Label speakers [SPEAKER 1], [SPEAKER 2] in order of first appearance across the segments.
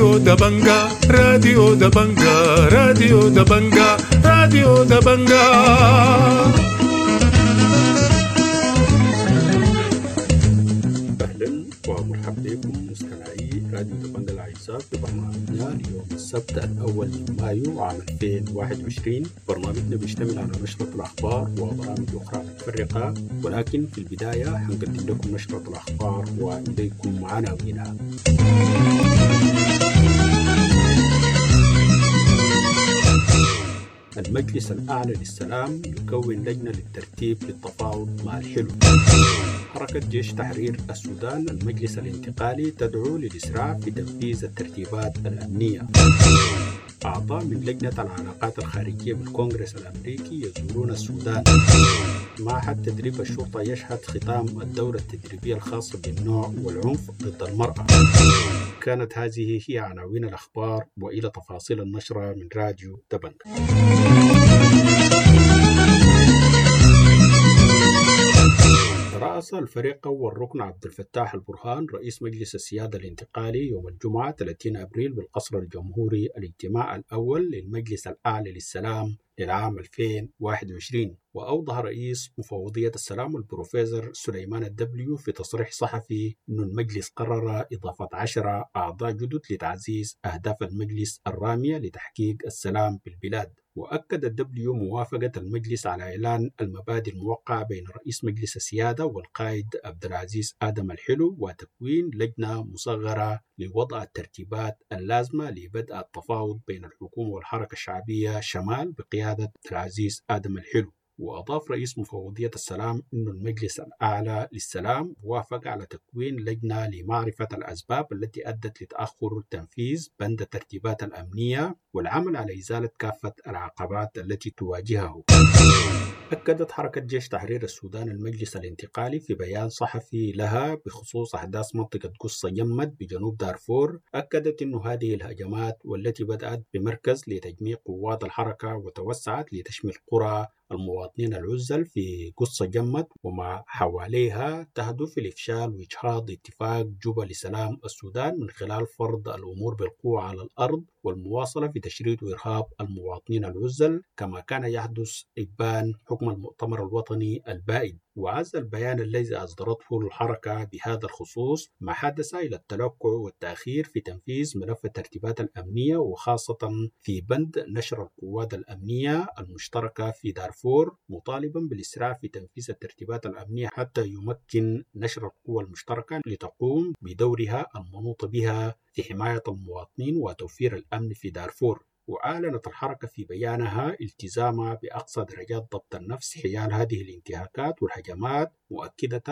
[SPEAKER 1] راديو دبنجا، راديو دبنجا، راديو دبنجا، راديو دبنجا.
[SPEAKER 2] أهلا ومرحبا بكم مستمعي راديو دبنجا الأعزاء في برنامجنا ليوم السبت الأول من مايو عام 2021. برنامجنا بيشتمل على نشرة الأخبار وبرامج أخرى متفرقة، ولكن في البداية حنقدم لكم نشرة الأخبار وإليكم عناوينها. المجلس الأعلى للسلام يكون لجنة للترتيب للتفاوض مع الحلو. حركة جيش تحرير السودان المجلس الانتقالي تدعو للإسراع في تنفيذ الترتيبات الأمنية. أعضاء من لجنة العلاقات الخارجية بالكونغرس الأمريكي يزورون السودان. معهد تدريب الشرطة يشهد ختام الدورة التدريبية الخاصة بالنوع والعنف ضد المرأة. كانت هذه هي عناوين الأخبار، وإلى تفاصيل النشرة من راديو دبنجا. رأس الفريق أول ركن عبد الفتاح البرهان رئيس مجلس السيادة الانتقالي يوم الجمعة 30 أبريل بالقصر الجمهوري الاجتماع الأول للمجلس الأعلى للسلام للعام 2021. وأوضح رئيس مفوضية السلام البروفيسور سليمان الدبليو في تصريح صحفي أن المجلس قرر إضافة 10 أعضاء جدد لتعزيز أهداف المجلس الرامية لتحقيق السلام بالبلاد. وأكد الدبليو موافقة المجلس على إعلان المبادئ الموقعة بين رئيس مجلس السيادة والقائد عبد العزيز آدم الحلو وتكوين لجنة مصغرة لوضع الترتيبات اللازمة لبدء التفاوض بين الحكومة والحركة الشعبية شمال بقيادة عبد العزيز آدم الحلو. وأضاف رئيس مفوضية السلام أن المجلس الأعلى للسلام وافق على تكوين لجنة لمعرفة الأسباب التي أدت لتأخر تنفيذ بند الترتيبات الأمنية والعمل على إزالة كافة العقبات التي تواجهه. أكدت حركة جيش تحرير السودان المجلس الانتقالي في بيان صحفي لها بخصوص أحداث منطقة قصة جمد بجنوب دارفور، أكدت أن هذه الهجمات والتي بدأت بمركز لتجميع قوات الحركة وتوسعت لتشمل قرى المواطنين العزل في قصة جمد وما حواليها تهدف لإفشال وإجهاض اتفاق جوبا لسلام السودان من خلال فرض الأمور بالقوة على الأرض والمواصلة في تشريد وإرهاب المواطنين العزل كما كان يحدث إبان حكم المؤتمر الوطني البائد. وعز البيان الذي أصدرته الحركة بهذا الخصوص ما حدث إلى التلكؤ والتأخير في تنفيذ ملف الترتيبات الأمنية، وخاصة في بند نشر القوات الأمنية المشتركة في دارفور، مطالبا بالإسراع في تنفيذ الترتيبات الأمنية حتى يمكن نشر القوى المشتركة لتقوم بدورها المنوط بها في حماية المواطنين وتوفير الأمن في دارفور. وأعلنت الحركة في بيانها التزامها بأقصى درجات ضبط النفس حيال هذه الانتهاكات والهجمات، مؤكدة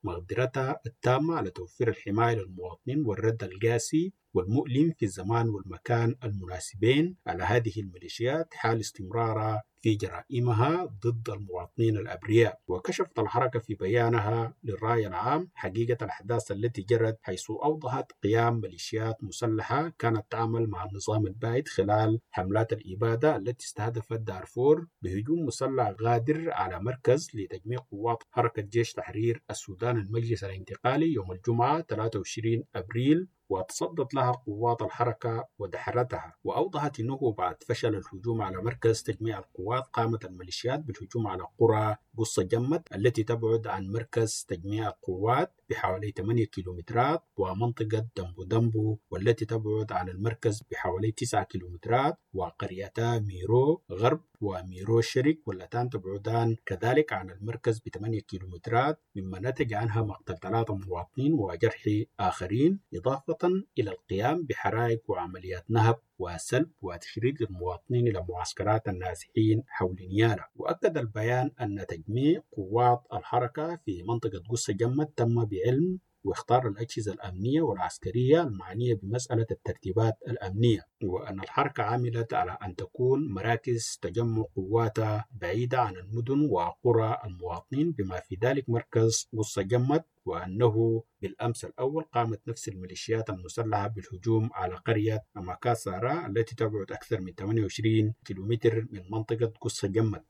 [SPEAKER 2] مقدرتها التامة على توفير الحماية للمواطنين والرد القاسي والمؤلم في الزمان والمكان المناسبين على هذه الميليشيات حال استمرارها في جرائمها ضد المواطنين الأبرياء. وكشفت الحركة في بيانها للرأي العام حقيقة الأحداث التي جرت، حيث أوضحت قيام ميليشيات مسلحة كانت تعمل مع النظام البائد خلال حملات الإبادة التي استهدفت دارفور بهجوم مسلح غادر على مركز لتجميع قوات حركة جيش تحرير السودان المجلس الانتقالي يوم الجمعة 23 أبريل، وتصدت لها قوات الحركة ودحرتها. وأوضحت أنه بعد فشل الهجوم على مركز تجميع القوات قامت الميليشيات بالهجوم على قرى قصة جمد التي تبعد عن مركز تجميع القوات بحوالي 8 كيلومترات، ومنطقة دمبو دمبو والتي تبعد عن المركز بحوالي 9 كيلومترات، وقريتا ميرو غرب وميرو شرق واللتان تبعدان كذلك عن المركز ب8 كيلومترات، مما نتج عنها مقتل 3 مواطنين وجرح آخرين، إضافة إلى القيام بحرائق وعمليات نهب وسلب وتشريد للمواطنين إلى معسكرات النازحين حول نيالا. وأكد البيان أن تجميع قوات الحركة في منطقة قصة جمد تم بعلم واختار الأجهزة الأمنية والعسكرية المعنية بمسألة الترتيبات الأمنية، وأن الحركة عملت على أن تكون مراكز تجمع قواتها بعيدة عن المدن وقرى المواطنين بما في ذلك مركز قصة جمد، وأنه بالأمس الأول قامت نفس الميليشيات المسلحة بالهجوم على قرية أماكاسارا التي تبعد أكثر من 28 كيلومتر من منطقة قصة جمد.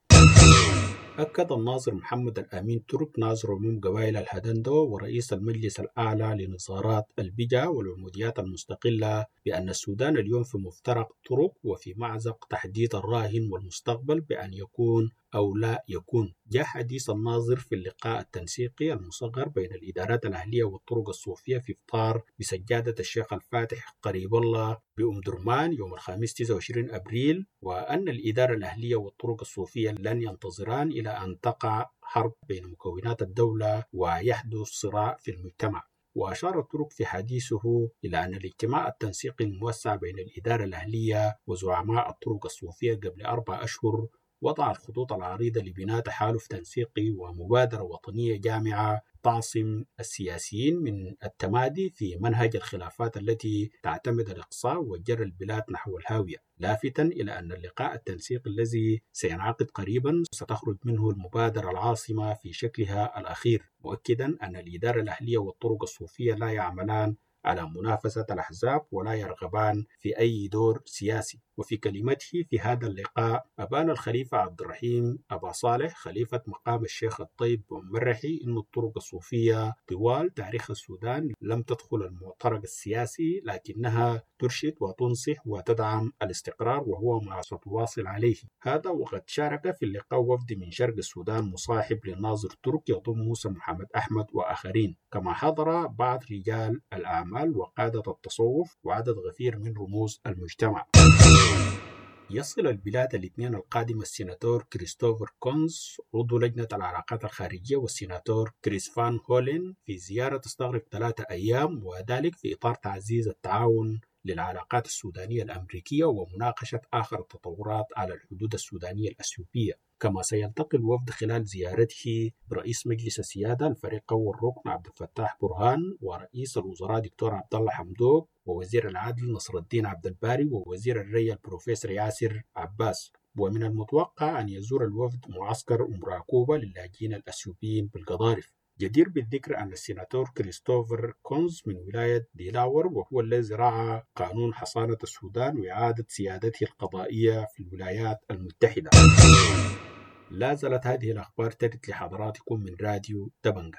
[SPEAKER 2] أكد الناظر محمد الأمين ترك، ناظر عموم قبائل الهدندوة ورئيس المجلس الأعلى لنظارات البجا والعموديات المستقلة، بأن السودان اليوم في مفترق طرق وفي معزق تحديد الراهن والمستقبل بأن يكون أو لا يكون. جاء حديث الناظر في اللقاء التنسيقي المصغر بين الإدارات الأهلية والطرق الصوفية في إفطار بسجادة الشيخ الفاتح قريب الله بأم درمان يوم الخميس 29 أبريل، وأن الإدارة الأهلية والطرق الصوفية لن ينتظران إلى أن تقع حرب بين مكونات الدولة ويحدث صراع في المجتمع. وأشار الترك في حديثه إلى أن الاجتماع التنسيقي الموسع بين الإدارة الأهلية وزعماء الطرق الصوفية قبل 4 أشهر وضع الخطوط العريضة لبناء تحالف تنسيقي ومبادرة وطنية جامعة تعصم السياسيين من التمادي في منهج الخلافات التي تعتمد الإقصاء وجر البلاد نحو الهاوية، لافتا إلى أن اللقاء التنسيقي الذي سينعقد قريبا ستخرج منه المبادرة العاصمة في شكلها الأخير، مؤكدا أن الإدارة الأهلية والطرق الصوفية لا يعملان على منافسة الأحزاب ولا يرغبان في أي دور سياسي. وفي كلمته في هذا اللقاء أبان الخليفة عبد الرحيم أبا صالح خليفة مقام الشيخ الطيب مرحي أن الطرق الصوفية طوال تاريخ السودان لم تدخل المعترك السياسي، لكنها ترشد وتنصح وتدعم الاستقرار وهو ما ستواصل عليه. هذا وقد شارك في اللقاء وفد من شرق السودان مصاحب للناظر ترك يضم موسى محمد أحمد وآخرين، كما حضر بعض رجال الأعمال وقادة التصوف وعدد غفير من رموز المجتمع. يصل البلاد الاثنين القادم السيناتور كريستوفر كونز عضو لجنة العلاقات الخارجية والسيناتور كريس فان هولين في زيارة تستغرق 3 أيام، وذلك في إطار تعزيز التعاون للعلاقات السودانية الأمريكية ومناقشة آخر التطورات على الحدود السودانية الأثيوبية. كما سيلتقي الوفد خلال زيارته برئيس مجلس السيادة الفريق أول ركن عبد الفتاح برهان ورئيس الوزراء دكتور عبد الله حمدوك ووزير العدل نصر الدين عبد الباري ووزير الري البروفيسور ياسر عباس. ومن المتوقع أن يزور الوفد معسكر أم راكوبة للاجئين الأثيوبيين بالقضارف. جدير بالذكر أن السيناتور كريستوفر كونز من ولاية ديلاور وهو الذي رعى قانون حصانة السودان وإعادة سيادته القضائية في الولايات المتحدة. لا زالت هذه الأخبار ترد لحضراتكم من راديو دبنجة.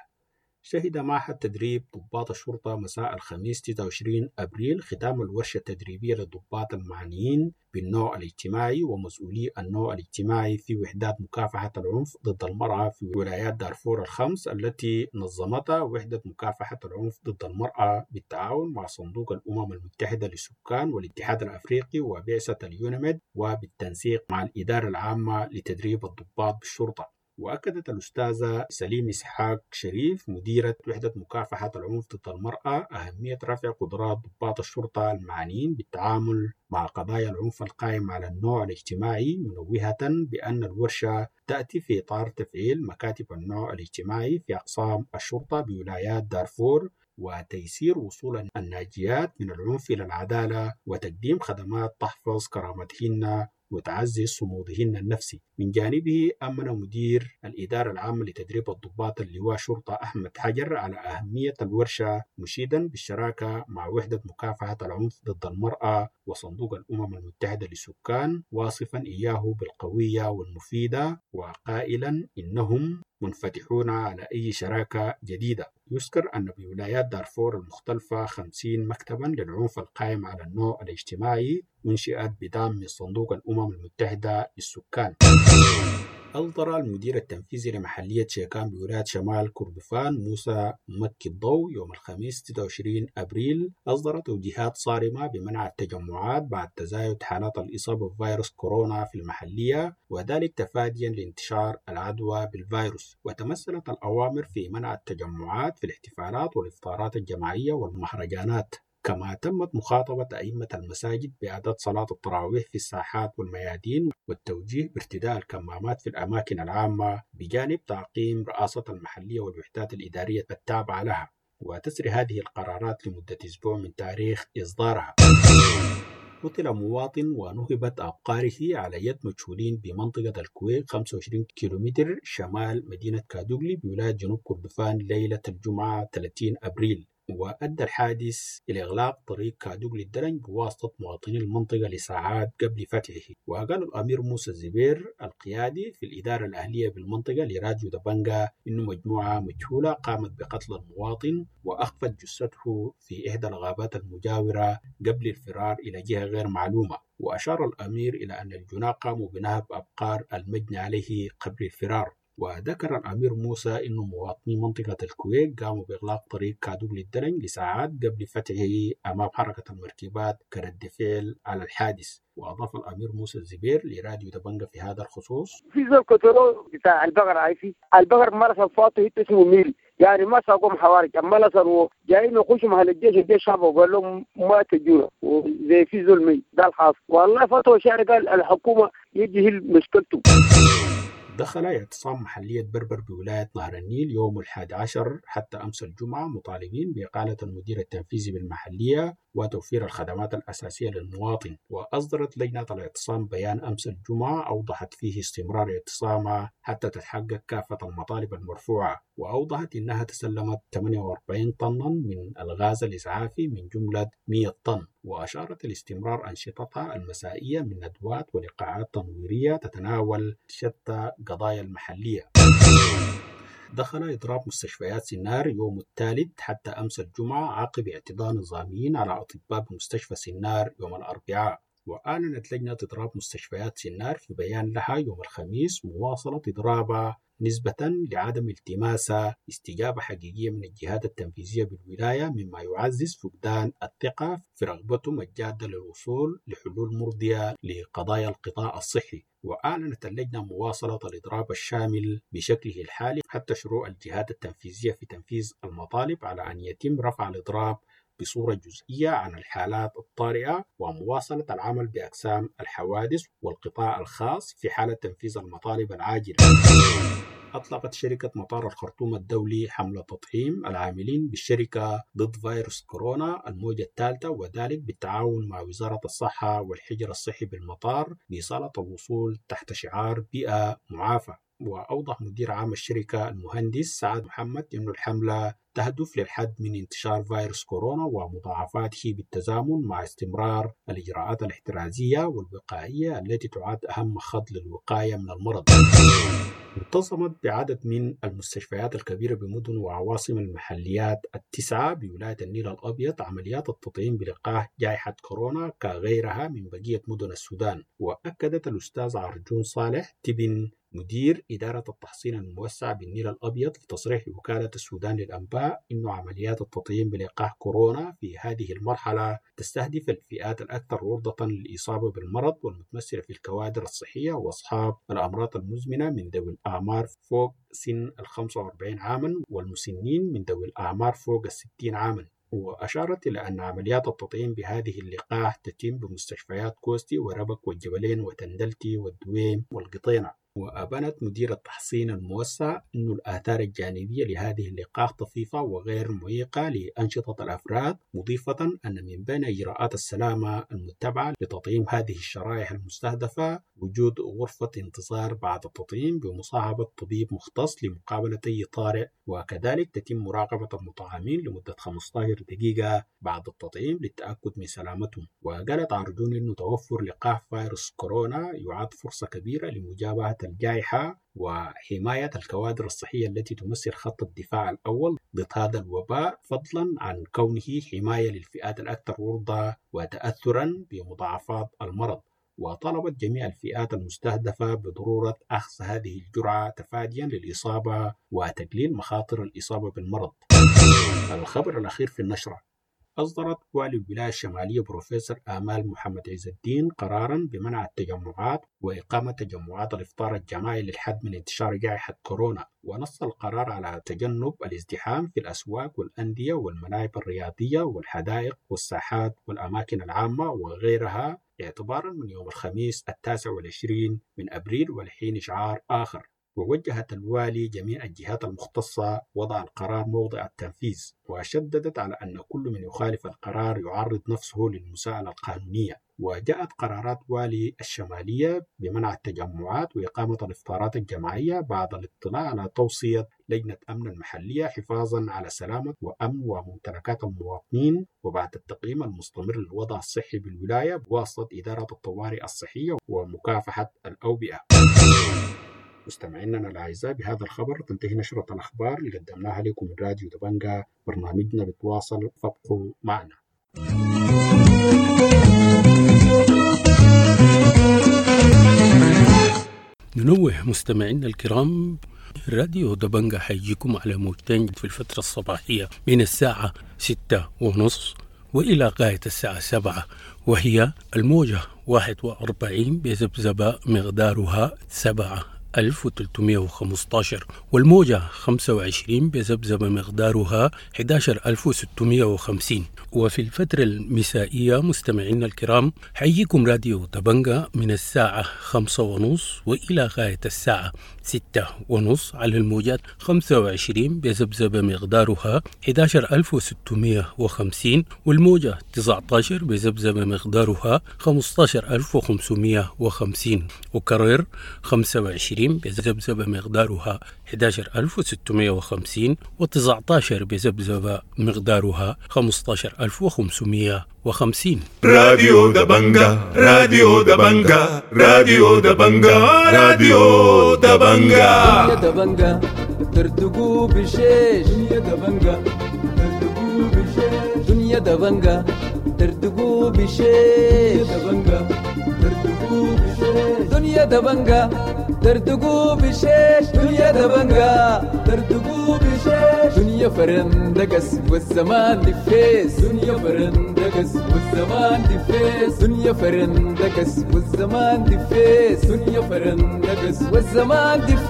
[SPEAKER 2] شهد معهد تدريب ضباط الشرطة مساء الخميس 29 أبريل ختام الورشة التدريبية للضباط المعنيين بالنوع الاجتماعي ومسؤولي النوع الاجتماعي في وحدات مكافحة العنف ضد المرأة في ولايات دارفور الخمس التي نظمتها وحدة مكافحة العنف ضد المرأة بالتعاون مع صندوق الأمم المتحدة للسكان والاتحاد الأفريقي وبعثة اليونميد وبالتنسيق مع الإدارة العامة لتدريب الضباط بالشرطة. وأكدت الأستاذة سليم إسحاق شريف مديرة وحدة مكافحة العنف ضد المرأة أهمية رفع قدرات ضباط الشرطة المعنيين بالتعامل مع قضايا العنف القائم على النوع الاجتماعي، منوهة بأن الورشة تأتي في إطار تفعيل مكاتب النوع الاجتماعي في أقسام الشرطة بولايات دارفور وتيسير وصول الناجيات من العنف إلى العدالة وتقديم خدمات تحفظ كرامتهن وتعزز صمودهن النفسي. من جانبه أمن مدير الإدارة العامة لتدريب الضباط اللواء شرطة أحمد حجر على أهمية الورشة، مشيدا بالشراكة مع وحدة مكافحة العنف ضد المرأة وصندوق الأمم المتحدة للسكان، واصفا إياه بالقوية والمفيدة وقائلا إنهم منفتحون على أي شراكة جديدة. يذكر أن بولايات دارفور المختلفة 50 مكتبا للعنف القائم على النوع الاجتماعي أنشئت بدعم من صندوق الأمم المتحدة للسكان. أصدر المدير التنفيذي لمحلية شيكان بولاية شمال كردفان موسى مكي الضوء يوم الخميس 26 أبريل أصدر توجيهات صارمة بمنع التجمعات بعد تزايد حالات الإصابة بفيروس كورونا في المحلية، وذلك تفاديا لانتشار العدوى بالفيروس. وتمثلت الأوامر في منع التجمعات في الاحتفالات والإفطارات الجماعية والمهرجانات. كما تمت مخاطبة أئمة المساجد بأداء صلاة التراويح في الساحات والميادين والتوجيه بارتداء الكمامات في الأماكن العامة، بجانب تعقيم رئاسة المحلية والوحدات الإدارية التابعة لها. وتسري هذه القرارات لمدة أسبوع من تاريخ إصدارها. قتل مواطن ونهبت أبقاره على يد مجهولين بمنطقة الكويت 25 كيلومتر شمال مدينة كادوغلي بولاية جنوب كردفان ليلة الجمعة 30 أبريل. وأدى الحادث إلى إغلاق طريق كادوغلي الدرنج بواسطة مواطني المنطقة لساعات قبل فتحه. وقال الأمير موسى الزبير القيادي في الإدارة الأهلية بالمنطقة لراديو دبنجا إنه مجموعة مجهولة قامت بقتل المواطن وأخفت جثته في إحدى الغابات المجاورة قبل الفرار إلى جهة غير معلومة. وأشار الأمير إلى أن الجناة قاموا بنهب أبقار المجني عليه قبل الفرار. وذكر الأمير موسى أن مواطني منطقة الكويت قاموا بإغلاق طريق كادوغلي الدرنج لساعات قبل فتحه أمام حركة المركبات كرد فعل على الحادث. وأضاف الأمير موسى الزبير لراديو دبنجا في هذا الخصوص:
[SPEAKER 3] في زول كتلو بتاع البقر، عايفي البقر مرة فاته اسمه ميل، يعني ما ساقوهم حوارج، اما لصروا جايين يخشوا محل الجيش، الجيش شافوا وقال لهم ما تجونا، وزي في زول ميل ده الحاصل. والله فتوى شعر قال الحكومة يجي مشكلته.
[SPEAKER 2] دخل اعتصام محلية بربر بولاية نهر النيل يوم 11 حتى أمس الجمعة مطالبين بإقالة المدير التنفيذي بالمحلية وتوفير الخدمات الأساسية للمواطن. وأصدرت لجنة الاعتصام بيان أمس الجمعة أوضحت فيه استمرار اعتصامها حتى تتحقق كافة المطالب المرفوعة، وأوضحت أنها تسلمت 48 طنا من الغاز الإسعافي من جملة 100 طن. وأشارت لاستمرار أنشطتها المسائية من ندوات ولقاءات تنويرية تتناول شتى قضايا المحلية. دخل إضراب مستشفيات سنار يوم الثالث حتى أمس الجمعة عقب اعتداء نظاميين على أطباء بمستشفى سنار يوم الأربعاء. وأعلنت لجنة إضراب مستشفيات سنار في بيان لها يوم الخميس مواصلة إضرابها نسبة لعدم التماس استجابة حقيقية من الجهات التنفيذية بالولاية، مما يعزز فقدان الثقة في رغبتهم الجادة للوصول لحلول مرضية لقضايا القطاع الصحي. وأعلنت اللجنة مواصلة الإضراب الشامل بشكله الحالي حتى شروع الجهات التنفيذية في تنفيذ المطالب، على أن يتم رفع الإضراب بصورة جزئية عن الحالات الطارئة ومواصلة العمل بأقسام الحوادث والقطاع الخاص في حالة تنفيذ المطالب العاجلة. أطلقت شركة مطار الخرطوم الدولي حملة تطعيم العاملين بالشركة ضد فيروس كورونا الموجة الثالثة، وذلك بالتعاون مع وزارة الصحة والحجر الصحي بالمطار بإصالة الوصول تحت شعار بيئة معافى. وأوضح مدير عام الشركة المهندس سعد محمد أن الحملة تهدف للحد من انتشار فيروس كورونا ومضاعفاته بالتزامن مع استمرار الإجراءات الاحترازية والوقائية التي تعد أهم خط للوقاية من المرض. انتظمت بعدد من المستشفيات الكبيرة بمدن وعواصم المحليات التسعة بولاية النيل الأبيض عمليات التطعيم بلقاح جائحة كورونا كغيرها من بقية مدن السودان. وأكدت الأستاذ عرجون صالح تبن مدير إدارة التحصين الموسع بالنيل الأبيض في تصريح لوكالة السودان للأنباء إنه عمليات التطعيم بلقاح كورونا في هذه المرحلة تستهدف الفئات الأكثر عرضة للإصابة بالمرض والمتمثلة في الكوادر الصحية وأصحاب الأمراض المزمنة من ذوي الأعمار فوق سن 45 عاما والمسنين من ذوي الأعمار فوق 60 عاما. وأشارت إلى أن عمليات التطعيم بهذه اللقاح تتم بمستشفيات كوستي وربك والجبلين وتندلتي والدويم والقطينة. وأبانت مدير التحصين الموسع أن الآثار الجانبية لهذه اللقاح طفيفة وغير معيقة لأنشطة الأفراد، مضيفة أن من بين إجراءات السلامة المتبعة لتطعيم هذه الشرائح المستهدفة وجود غرفة انتظار بعد التطعيم بمصاحبة طبيب مختص لمقابلة أي طارئ، وكذلك تتم مراقبة المطعمين لمدة 15 دقيقة بعد التطعيم للتأكد من سلامتهم. وقالت عرجون أن توفر لقاح فيروس كورونا يعد فرصة كبيرة لمجابهة الجائحة وحماية الكوادر الصحية التي تمثل خط الدفاع الأول ضد هذا الوباء، فضلا عن كونه حماية للفئات الأكثر عرضة وتأثرا بمضاعفات المرض. وطلبت جميع الفئات المستهدفة بضرورة أخذ هذه الجرعة تفاديا للإصابة وتقليل مخاطر الإصابة بالمرض. الخبر الأخير في النشرة: أصدرت والي الولاية الشمالية بروفيسور آمال محمد عز الدين قرارا بمنع التجمعات وإقامة تجمعات الإفطار الجماعي للحد من انتشار جائحة كورونا. ونص القرار على تجنب الازدحام في الأسواق والأندية والملاعب الرياضية والحدائق والساحات والأماكن العامة وغيرها اعتبارا من يوم الخميس 29 من أبريل ولحين إشعار آخر. ووجهت الوالي جميع الجهات المختصة وضع القرار موضع التنفيذ، وشددت على أن كل من يخالف القرار يعرض نفسه للمساءلة القانونية. وجاءت قرارات والي الشمالية بمنع التجمعات وإقامة الإفطارات الجماعية بعد الاطلاع على توصية لجنة أمن المحلية حفاظا على سلامة وأمن وممتلكات المواطنين، وبعد التقييم المستمر للوضع الصحي بالولاية بواسطة إدارة الطوارئ الصحية ومكافحة الأوبئة. مستمعينا الأعزاء، بهذا الخبر تنتهي نشرة الأخبار اللي قدمناها لكم من راديو دبنجا. برنامجنا بتواصل، فابقوا معنا.
[SPEAKER 4] ننوه مستمعينا الكرام، راديو دبنجا حيجيكم على موجتين في الفترة الصباحية من الساعة 6:30 وإلى غاية الساعة 7، وهي الموجة 41 بذبذبة مقدارها 7315، والموجة 25 بذبذبة مقدارها 11650. وفي الفترة المسائية مستمعينا الكرام حيجيكم راديو دبنجا من الساعة 5:30 وإلى غاية الساعة 6:30 على الموجات 25 بذبذبة مقدارها 11650، والموجة 19 بذبذبة مقدارها 15550، وكرر 25 بذبذبة مقدارها 11650 و19 بذبذبة مقدارها 15550.
[SPEAKER 1] راديو دبنجا، راديو دبنجا، راديو دبنجا، راديو دبنجا.
[SPEAKER 5] يا دبنجا ترتقو بشيش، يا دبنجا ترتقو بشيش، دنيا دبنجا ترتقو بشيش، يا دبنجا ترتقو بشيش، دنيا دبنجا ترتقو بشيش، دنيا دبنجا ترتقو بشيش، دنيا فرندقس والزمان دفيس، دنيا فرندقس والزمان دفيس، دنيا فرندقس والزمان دفيس، دنيا فرندقس والزمان دفيس.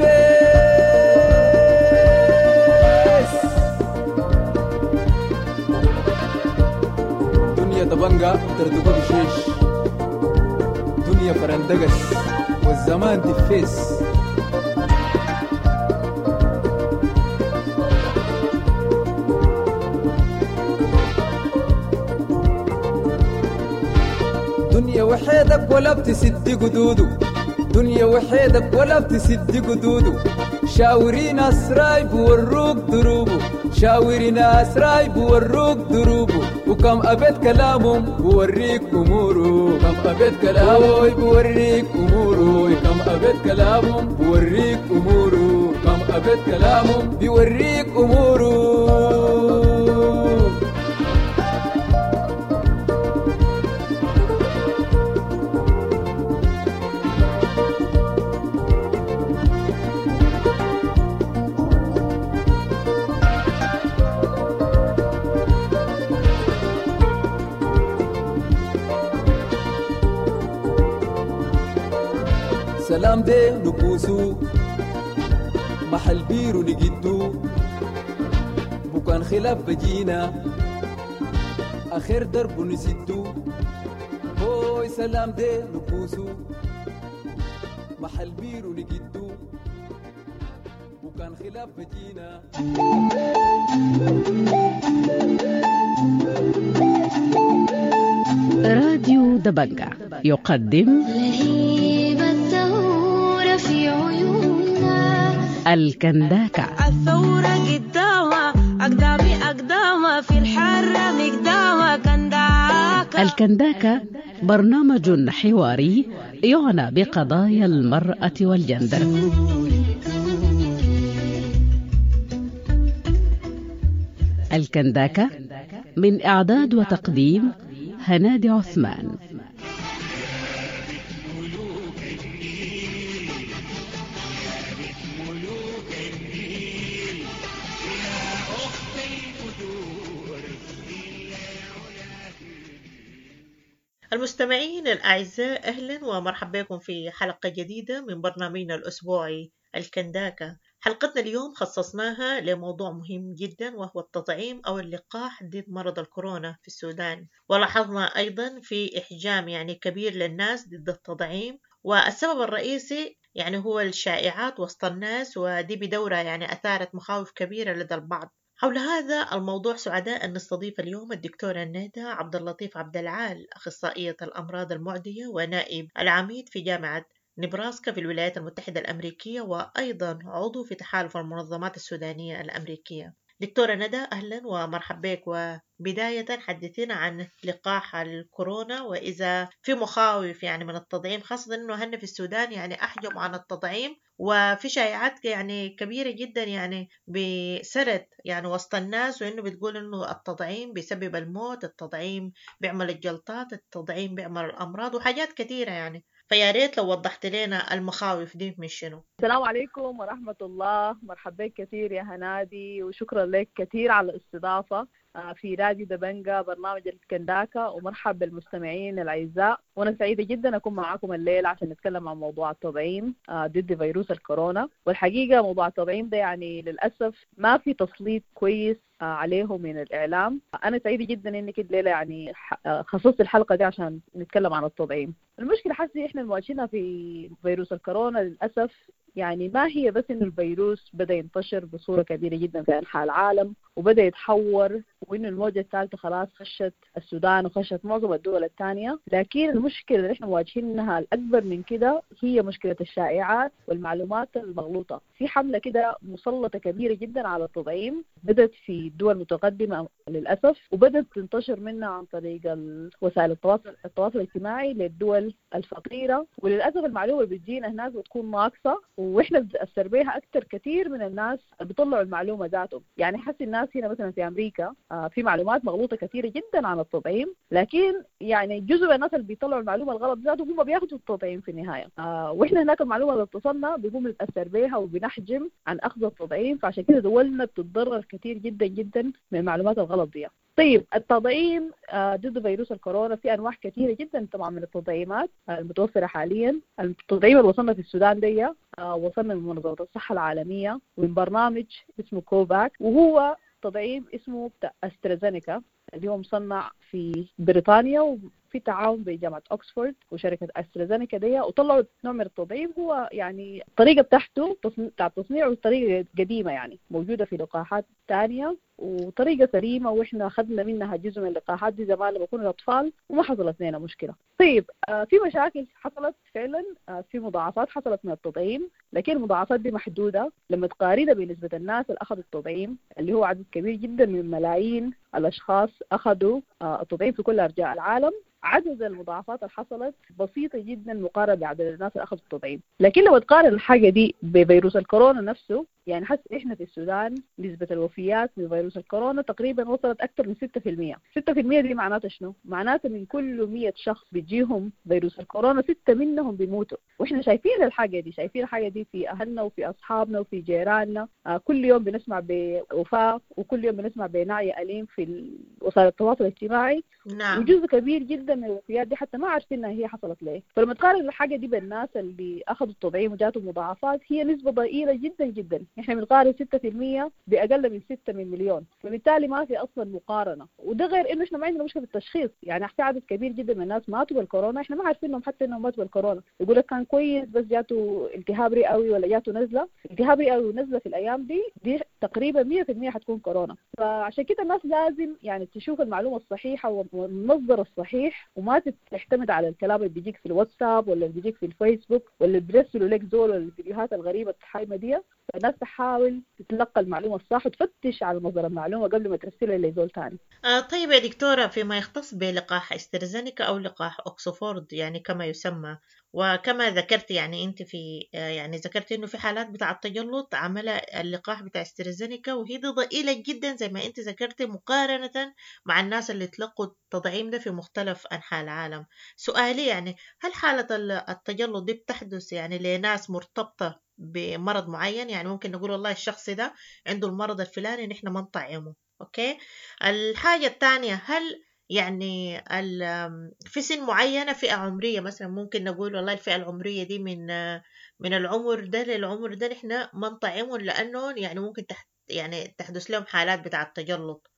[SPEAKER 5] دنيا دبنجا ترتقو بشيش، دنيا فرندقس والزمان دفيس. دنيا وحيدك ولا بتسد قدوده، دنيا وحيدك ولا بتسد قدوده، شاوري ناس رايب وروك دروبه، شاوري ناس رايب وروك دروبه، وكم أبيت كلامهم بوريك أموره، كم أبيت كلامه بوريك أموره، كم أبيت كلامهم بوريك أموره، كم أبيت كلامهم بيوريك أموره. سلام دي نكوسو محل بيرو نجدو، بكان خلاف بجينا آخر درب نسدو، هوي سلام دي نكوسو محل بيرو نجدو، بكان خلاف بجينا.
[SPEAKER 6] راديو دبنجا يقدم
[SPEAKER 7] لهيب الثورة في عيوننا،
[SPEAKER 6] الكنداكا.
[SPEAKER 8] الثورة قدامها أقدامي أقدامها في الحرة مقدامها كنداكا.
[SPEAKER 6] الكنداكا برنامج حواري يعنى بقضايا المرأة والجندر. الكنداكا من إعداد وتقديم هنادي عثمان.
[SPEAKER 9] المستمعين الأعزاء، أهلا ومرحبا بكم في حلقة جديدة من برنامجنا الأسبوعي الكنداكا. حلقتنا اليوم خصصناها لموضوع مهم جدا، وهو التطعيم أو اللقاح ضد مرض الكورونا في السودان. ولاحظنا أيضا في إحجام يعني كبير للناس ضد التطعيم، والسبب الرئيسي يعني هو الشائعات وسط الناس، ودي بدورة يعني أثارت مخاوف كبيرة لدى البعض. حول هذا الموضوع سعداء أن نستضيف اليوم الدكتورة ندى عبد اللطيف عبد العال، أخصائية الأمراض المعدية ونائب العميد في جامعة نبراسكا في الولايات المتحدة الأمريكية، وأيضا عضو في تحالف المنظمات السودانية الأمريكية. دكتورة ندى، أهلا ومرحبا بك. وبداية حدثينا عن لقاح الكورونا، وإذا في مخاوف يعني من التطعيم، خاصة أنه هن في السودان يعني أحجم عن التطعيم، وفي شائعات يعني كبيرة جدا يعني بسرت يعني وسط الناس، وإنه بتقول إنه التطعيم بيسبب الموت، التطعيم بيعمل الجلطات، التطعيم بيعمل الأمراض وحاجات كثيرة يعني. فيا ريت لو وضحت لنا المخاوف دي من شنو.
[SPEAKER 10] السلام عليكم ورحمة الله، مرحبا بك كثير يا هنادي، وشكرا لك كثير على الاستضافة في راديو دبنجة برنامج الكنداكا، ومرحب بالمستمعين الأعزاء. وأنا سعيدة جدا أكون معاكم الليلة عشان نتكلم عن موضوع التطعيم ضد فيروس الكورونا. والحقيقة موضوع التطعيم ده يعني للأسف ما في تسليط كويس عليه من الإعلام. أنا سعيدة جدا إنك الليلة يعني خصصت الحلقة دي عشان نتكلم عن التطعيم. المشكلة حاسة إحنا مواجهينها في فيروس الكورونا للأسف يعني ما هي بس إنه الفيروس بدأ ينتشر بصورة كبيرة جدا في أنحاء العالم وبدأ يتحور، وإنه الموجة الثالثة خلاص خشت السودان وخشت معظم الدول الثانية، لكن المشكلة اللي إحنا مواجهينها الأكبر من كده هي مشكلة الشائعات والمعلومات المغلوطة. في حملة كده مسلطة كبيرة جدا على التطعيم بدأت في دول متقدمة للأسف، وبدأت تنتشر منها عن طريق وسائل التواصل الاجتماعي للدول الفقيرة، وللأسف المعلومة اللي بتجينا هناك بتكون ناقصة، وإحنا بنتأثر بيها أكتر كثير من الناس اللي بيطلعوا المعلومة ذاتهم. يعني حس الناس هنا مثلا في أمريكا في معلومات مغلوطة كثيرة جدا عن التطعيم، لكن يعني جزء من الناس اللي بيطلعوا المعلومة الغلط ذاتهم هم بياخدوا التطعيم في النهاية، وإحنا هناك المعلومة اللي اتصلنا بيقوم نتأثر بيها وبنحجم عن أخذ التطعيم، فعشان كده دولنا بتتضرر كثير جدا جدا من المعلومات الغلط دي. طيب التطعيم ضد فيروس الكورونا في أنواع كثيرة جدا طبعا من التطعيمات المتوفرة حاليا. التطعيم اللي وصلنا في السودان دي وصلنا من منظمة الصحة العالمية ومن برنامج اسمه كوفاك، وهو تطعيم اسمه أسترازينيكا اللي هو مصنع في بريطانيا وفي تعاون بين جامعة أكسفورد وشركة أسترازينيكا دي، وطلعوا نوع من التطعيم هو يعني الطريقة بتاعته بتاع التصنيع والطريقة قديمة يعني موجودة في لقاحات تانية وطريقة سليمة، وإحنا أخذنا منها جزء من اللقاحات دي زمان لما كنا أطفال وما حصلت لنا مشكلة. طيب في مشاكل حصلت فعلا، في مضاعفات حصلت من التطعيم، لكن المضاعفات دي محدودة لما تقارنها بنسبة الناس اللي أخذوا التطعيم اللي هو عدد كبير جدا من ملايين الأشخاص أخذوا التطعيم في كل أرجاء العالم. عدد المضاعفات اللي حصلت بسيطة جدا مقارنة بعدد الناس اللي أخذوا التطعيم. لكن لو تقارن الحاجة دي بفيروس الكورونا نفسه، يعني حس إحنا في السودان نسبة الوفيات من فيروس الكورونا تقريبا وصلت أكثر من 6%. 6% دي معناتها شنو؟ معناتها من كل 100 شخص بيجيهم فيروس الكورونا 6 منهم بيموتوا، وإحنا شايفين الحاجة دي، شايفين الحاجة دي في أهلنا وفي أصحابنا وفي جيراننا. كل يوم بنسمع بوفاة وكل يوم بنسمع بنعي أليم في وسائل التواصل الاجتماعي.
[SPEAKER 9] نعم.
[SPEAKER 10] وجزء كبير جدا من الوفيات دي حتى ما عارفين هي حصلت ليه. فلما تقارن الحاجة دي بالناس اللي أخذوا التطعيم وجاتهم مضاعفات هي نسبة ضئيلة جدا جدا. احنا بنقارن 6% بأقل من 6 من مليون، فبالتالي ما في أصلا مقارنة. وده غير إنه إحنا ما عندنا مشكلة في التشخيص، يعني في عدد كبير جدا من الناس ماتوا بالكورونا إحنا ما عارفين حتى إنهم ماتوا بالكورونا، يقول لك كان كويس بس جاته التهاب رئوي ولا جاته نزلة. التهاب رئوي ونزلة في الأيام دي تقريبا 100% حتكون كورونا. فعشان كده الناس لازم يعني تشوف المعلومة الصحيحة والمصدر الصحيح، وما تعتمد على الكلام اللي بيجيك في الواتساب ولا اللي بيجيك في الفيسبوك ولا اللي بيرسلوا لك زول ولا الفيديوهات الغريبة الحايمة دي. فالناس تحاول تتلقى المعلومة الصح وتفتش على مصدر المعلومة قبل ما ترسلها لزول تاني.
[SPEAKER 9] طيب يا دكتورة، فيما يختص بلقاح استرازينيكا أو لقاح أكسفورد يعني كما يسمى، وكما ذكرت يعني أنت في يعني ذكرت إنه في حالات بتاع التجلط عمل اللقاح بتاع استرازينيكا، وهي دي ضئيلة جدا زي ما أنت ذكرت مقارنة مع الناس اللي تلقوا التطعيم ده في مختلف أنحاء العالم. سؤالي يعني هل حالة التجلط دي بتحدث يعني لناس مرتبطة بمرض معين؟ يعني ممكن نقول والله الشخص ده عنده المرض الفلاني نحن ما نطعمه، okay. الحاجة الثانية، هل يعني في سن معينة، فئة عمرية مثلا ممكن نقول والله الفئة العمرية دي من العمر ده للعمر ده نحن ما نطعمهم لأنه يعني ممكن يعني تحدث لهم حالات بتاع التجلط.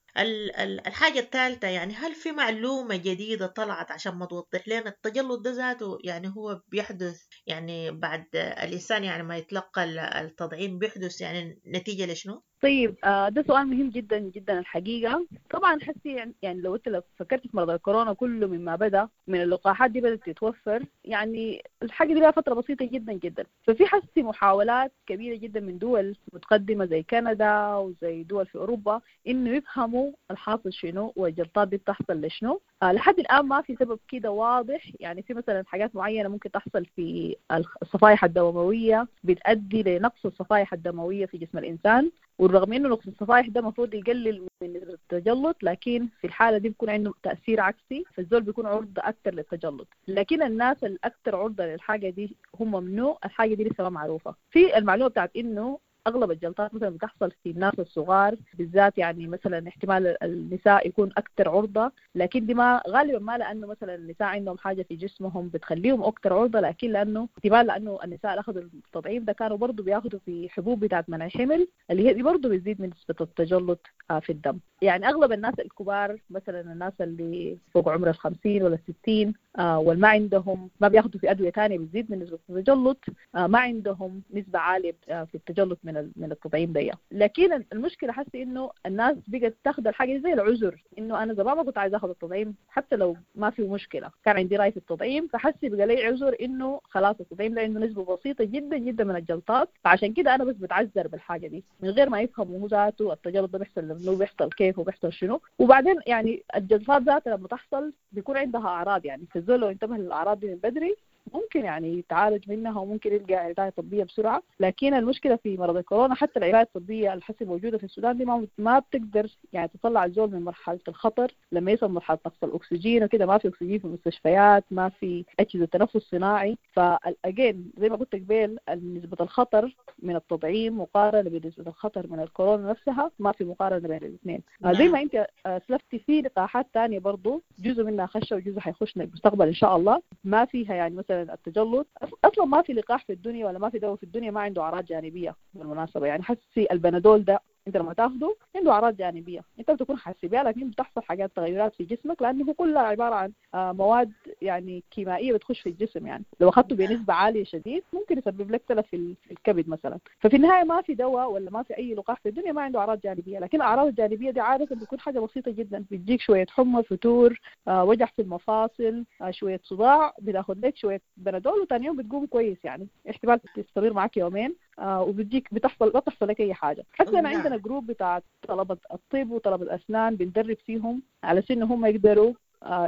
[SPEAKER 9] الحاجة الثالثة، يعني هل في معلومة جديدة طلعت عشان ما توضح لنا التجلط ده ذاته يعني هو بيحدث يعني بعد الإنسان يعني ما يتلقى التطعيم بيحدث يعني نتيجة لشنو؟
[SPEAKER 10] طيب ده سؤال مهم جدا جدا الحقيقة. طبعا حسي يعني لو انت فكرت في مرض الكورونا كله مما بدا من اللقاحات دي بدات تتوفر، يعني الحاجة دي لها فترة بسيطة جدا جدا، ففي حسي محاولات كبيرة جدا من دول متقدمة زي كندا وزي دول في اوروبا انه يفهموا الحاصل شنو والجلطات دي بتحصل لشنو. لحد الان ما في سبب كده واضح، يعني في مثلا حاجات معينة ممكن تحصل في الصفائح الدموية بتؤدي لنقص الصفائح الدموية في جسم الانسان، والرغم انه نقص الصفائح ده المفروض يقلل من نسبه التجلط، لكن في الحالة دي بيكون عنده تاثير عكسي، فالزول بيكون عرضه اكثر للتجلط. لكن الناس الاكثر عرضه للحاجة دي هم منو؟ الحاجة دي لسه ما معروفة. في المعلومة بتاعت انه اغلب الجلطات مثلا بتحصل في الناس الصغار بالذات، يعني مثلا احتمال النساء يكون اكثر عرضه، لكن دي ما غالبا ما لانه مثلا النساء عندهم حاجة في جسمهم بتخليهم اكثر عرضه، لكن لانه احتمال لانه النساء اللي اخذوا التضعيف ده كانوا برضه بياخذوا في حبوب بتاعت منع حمل اللي هي دي برضه بتزيد من نسبه التجلط في الدم. يعني اغلب الناس الكبار مثلا الناس اللي فوق عمر 50 ولا 60 والما عندهم ما بياخذوا في ادوية ثانية بتزيد من نسبه التجلط، ما عندهم نسبه عالية في التجلط من التطعيم دي. لكن المشكلة حاسه انه الناس بقت تاخذ الحاجة زي العذر، انه انا زمان ما كنت عايزه اخذ التطعيم حتى لو ما في مشكلة، كان عندي راي في التطعيم، فحسي بقى لي عذر انه خلاص التطعيم ده عنده نسبه بسيطة جدا جدا من الجلطات، فعشان كده انا بس بتعذر بالحاجة دي من غير ما يفهموا هو ذاته التجلط ده بيحصل لمنو، بيحصل كيف وبيحصل شنو. وبعدين يعني الجلطات ذاتها لما تحصل بيكون عندها اعراض، يعني فالزول لو انتبه للاعراض دي من بدري ممكن يعني يتعالج منها وممكن يلقى علاج طبية بسرعة. لكن المشكلة في مرض الكورونا حتى العلاج الطبية الحسي موجودة في السودان دي ما بتقدر يعني تطلع الزول من مرحلة الخطر لما يصل مرحلة نقص الأكسجين وكده. ما في أكسجين في المستشفيات، ما في أجهزة تنفس صناعي. فالأجين زي ما قلت قبل نسبة الخطر من التطعيم مقارنة بنسبة الخطر من الكورونا نفسها ما في مقارنة بين الاثنين. زي ما أنت سلفتي في لقاحات تانية برضو جزء منها خشة وجزء حيخش المستقبل إن شاء الله، ما فيها يعني مثلا التجلط اصلا ما في لقاح في الدنيا ولا ما في دواء في الدنيا ما عنده اعراض جانبيه بالمناسبة. يعني حسي البنادول ده انت لما تاخده عنده اعراض جانبيه، انت بتكون حاسس بيها، لكن بتحصل حاجات تغيرات في جسمك لانه هو كلها عبارة عن مواد يعني كيميائية بتخش في الجسم. يعني لو اخذته بنسبة عالية شديد ممكن يسبب لك تلف في الكبد مثلا. ففي النهاية ما في دواء ولا ما في اي لقاح في الدنيا ما عنده اعراض جانبيه، لكن الاعراض الجانبية دي عادة بتكون حاجة بسيطة جدا، بتجيك شوية حمى، فتور، وجع في المفاصل، شوية صداع، بتاخذ لك شوية بنادول وثاني يوم بتقوم كويس، يعني احتمال تستمر معك يومين وبتجيك بتحصل ما بتحصل لك اي حاجة. حتى انا عندنا group بتاع طلبه الطب وطلبه الاسنان بندرب فيهم على انه هم يقدروا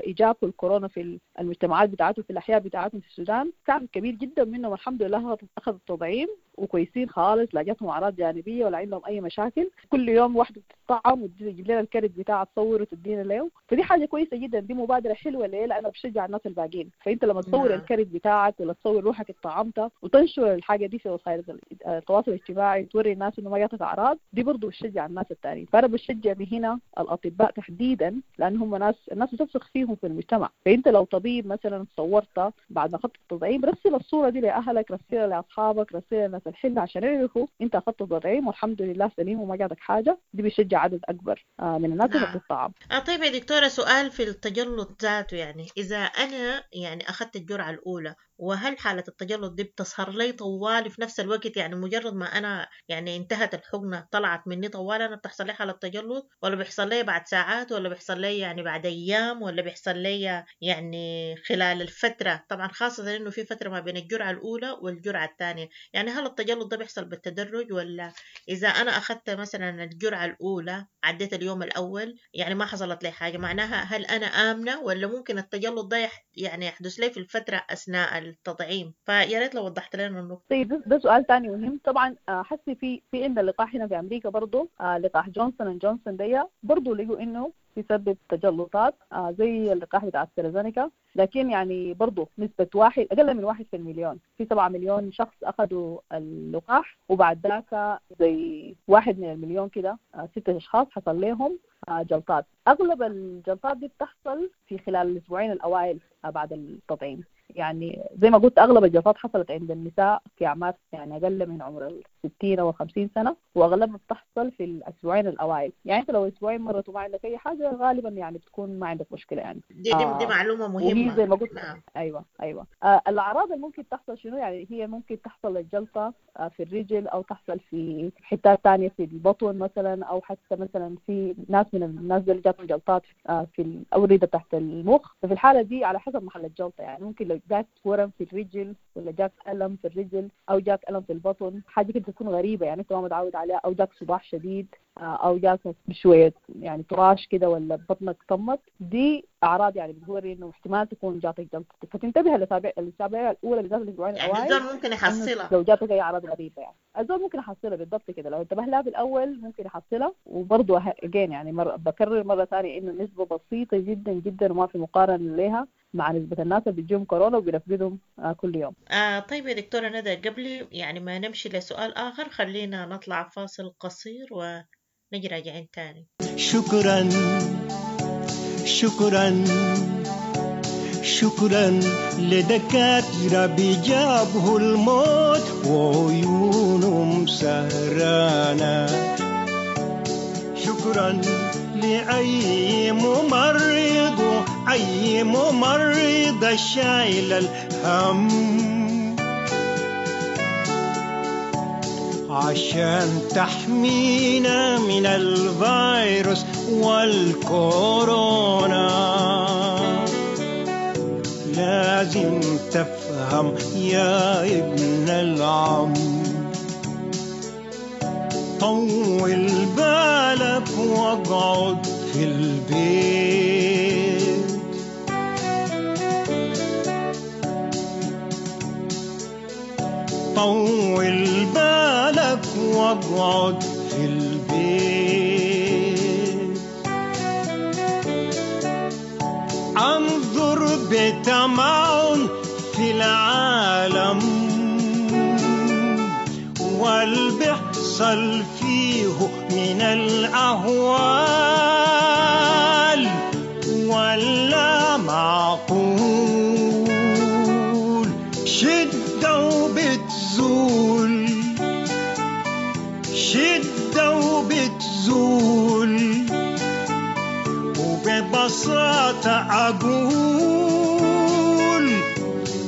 [SPEAKER 10] يجابوا الكورونا في المجتمعات بتاعتهم في الاحياء بتاعتهم في السودان. كان كبير جدا منهم الحمد لله اخذ التطعيم وكويسين خالص، لا جاتهم اعراض جانبيه ولا عندهم اي مشاكل. كل يوم واحدة بتطعم وتجيب لنا الكرت بتاعها تصور وتدينا له، فدي حاجة كويسة جدا، دي مبادرة حلوة. ليه؟ لانه بشجع الناس الباقيين. فانت لما تصور الكرت بتاعك ولا تصور روحك اتطعمت وتنشر الحاجة دي في وسائل التواصل الاجتماعي وتوري الناس انه ما جاتك اعراض، دي برضه بتشجع الناس الثانيين. فانا بشجع بهنا الاطباء تحديدا لان هم ناس الناس بتثق فيهم في المجتمع. فانت لو طبيب مثلا صورت بعد ما اخذت التطعيم رسل الصورة دي لاهلك، رسلها لاصحابك، رسلها للناس الحلة عشان يعرفوا انت اخذت التطعيم والحمد لله سليم وما جاتك حاجة. دي بيشجع عدد اكبر من الناس اللي بتطعم.
[SPEAKER 9] طيب يا دكتورة، سؤال في التجلط ذاته، يعني اذا انا يعني اخذت الجرعة الاولى وهل حالة التجلط دي بتظهر لي طوال في نفس الوقت؟ يعني مجرد ما أنا يعني انتهت الحقنة طلعت مني طوال أنا بتحصل لي حالة تجلط، ولا بيحصل لي بعد ساعات، ولا بيحصل لي يعني بعد أيام، ولا بيحصل لي يعني خلال الفترة؟ طبعا خاصة إنه في فترة ما بين الجرعة الأولى والجرعة الثانية، يعني هل التجلط ده بيحصل بالتدرج، ولا إذا أنا أخذت مثلا الجرعة الأولى عديت اليوم الأول يعني ما حصلت لي حاجة، معناها هل أنا آمنة، ولا ممكن التجلط ده يعني يحدث لي في الفترة أثناء التطعيم؟ فيا ريت لو وضحت لنا النقطة.
[SPEAKER 10] طيب ده سؤال ثاني مهم طبعا. حسي في عندنا لقاح هنا في امريكا برضه، لقاح جونسون اند جونسون دي برضه لقوا انه بيسبب تجلطات زي اللقاح بتاع استرازينيكا، لكن يعني برضه نسبة واحد أقل من 1 في المليون، في 7 مليون شخص أخذوا اللقاح وبعد ذاك زي 1 من المليون كده 6 أشخاص حصل لهم جلطات. أغلب الجلطات دي بتحصل في خلال الأسبوعين الأوائل بعد التطعيم، يعني زي ما قلت أغلب الجلطات حصلت عند النساء في أعمار يعني أقل من عمر 60 أو 50 سنة، وأغلبها بتحصل في الأسبوعين الأوائل. يعني أنت لو أسبوعين مرت وما عندك أي حاجة غالبا يعني بتكون ما عندك مشكلة يعني.
[SPEAKER 9] دي معلومة مهمة.
[SPEAKER 10] وهي زي ما قلت.
[SPEAKER 9] نعم.
[SPEAKER 10] أيوة. الأعراض اللي ممكن تحصل شنو؟ يعني هي ممكن تحصل الجلطة في الرجل، أو تحصل في حتات تانية في البطن مثلا، أو حتى مثلا في ناس من الناس اللي جاتهم جلطات في الأوردة تحت المخ. ففي الحالة دي على حسب محل الجلطة، يعني ممكن لو جات ورم في الرجل، ولا جاك ألم في الرجل، أو جاك ألم في البطن، حاجة كده تكون غريبة يعني أنت ما متعود عليها، أو جاك صداع شديد، أو جاك شوية يعني تراش كده، ولا بطنك طمت. دي أعراض يعني بتوري إنه احتمال تكون جاتك جلطة. فتنتبه للأسابيع الأولى بالذات الأسبوعين
[SPEAKER 9] يعني
[SPEAKER 10] الأوائل،
[SPEAKER 9] الزول ممكن يحصلها
[SPEAKER 10] لو جاتك أي أعراض غريبة. يعني الزول ممكن يحصلها بالضبط كده، لو انتبه لها في الأول ممكن يحصلها. وبرضه again يعني بكرر مرة ثانية إنه نسبة بسيطة جدا جدا وما في مقارنة لها مع نسبة الناس اللي بتجيهم كورونا وبنفقدهم كل يوم.
[SPEAKER 9] طيب يا دكتورة ندى، قبل يعني ما نمشي لسؤال آخر خلينا نطلع فاصل قصير ونجي راجعين تاني.
[SPEAKER 11] شكرا شكرا شكرا لدكاترة بيجابه الموت وعيونهم سهرانة. شكرا لأي ممرض، أي ممرض شايل الهم عشان تحمينا من الفيروس والكورونا. لازم تفهم يا ابن العم، طول بالك واقعد في البيت. طول بالك واقعد في البيت. انظر بتمعن في العالم والبحصل فيه من الأهوال ولا معقول. شدة وبتزول، شدة وبتزول، وببساطة أقول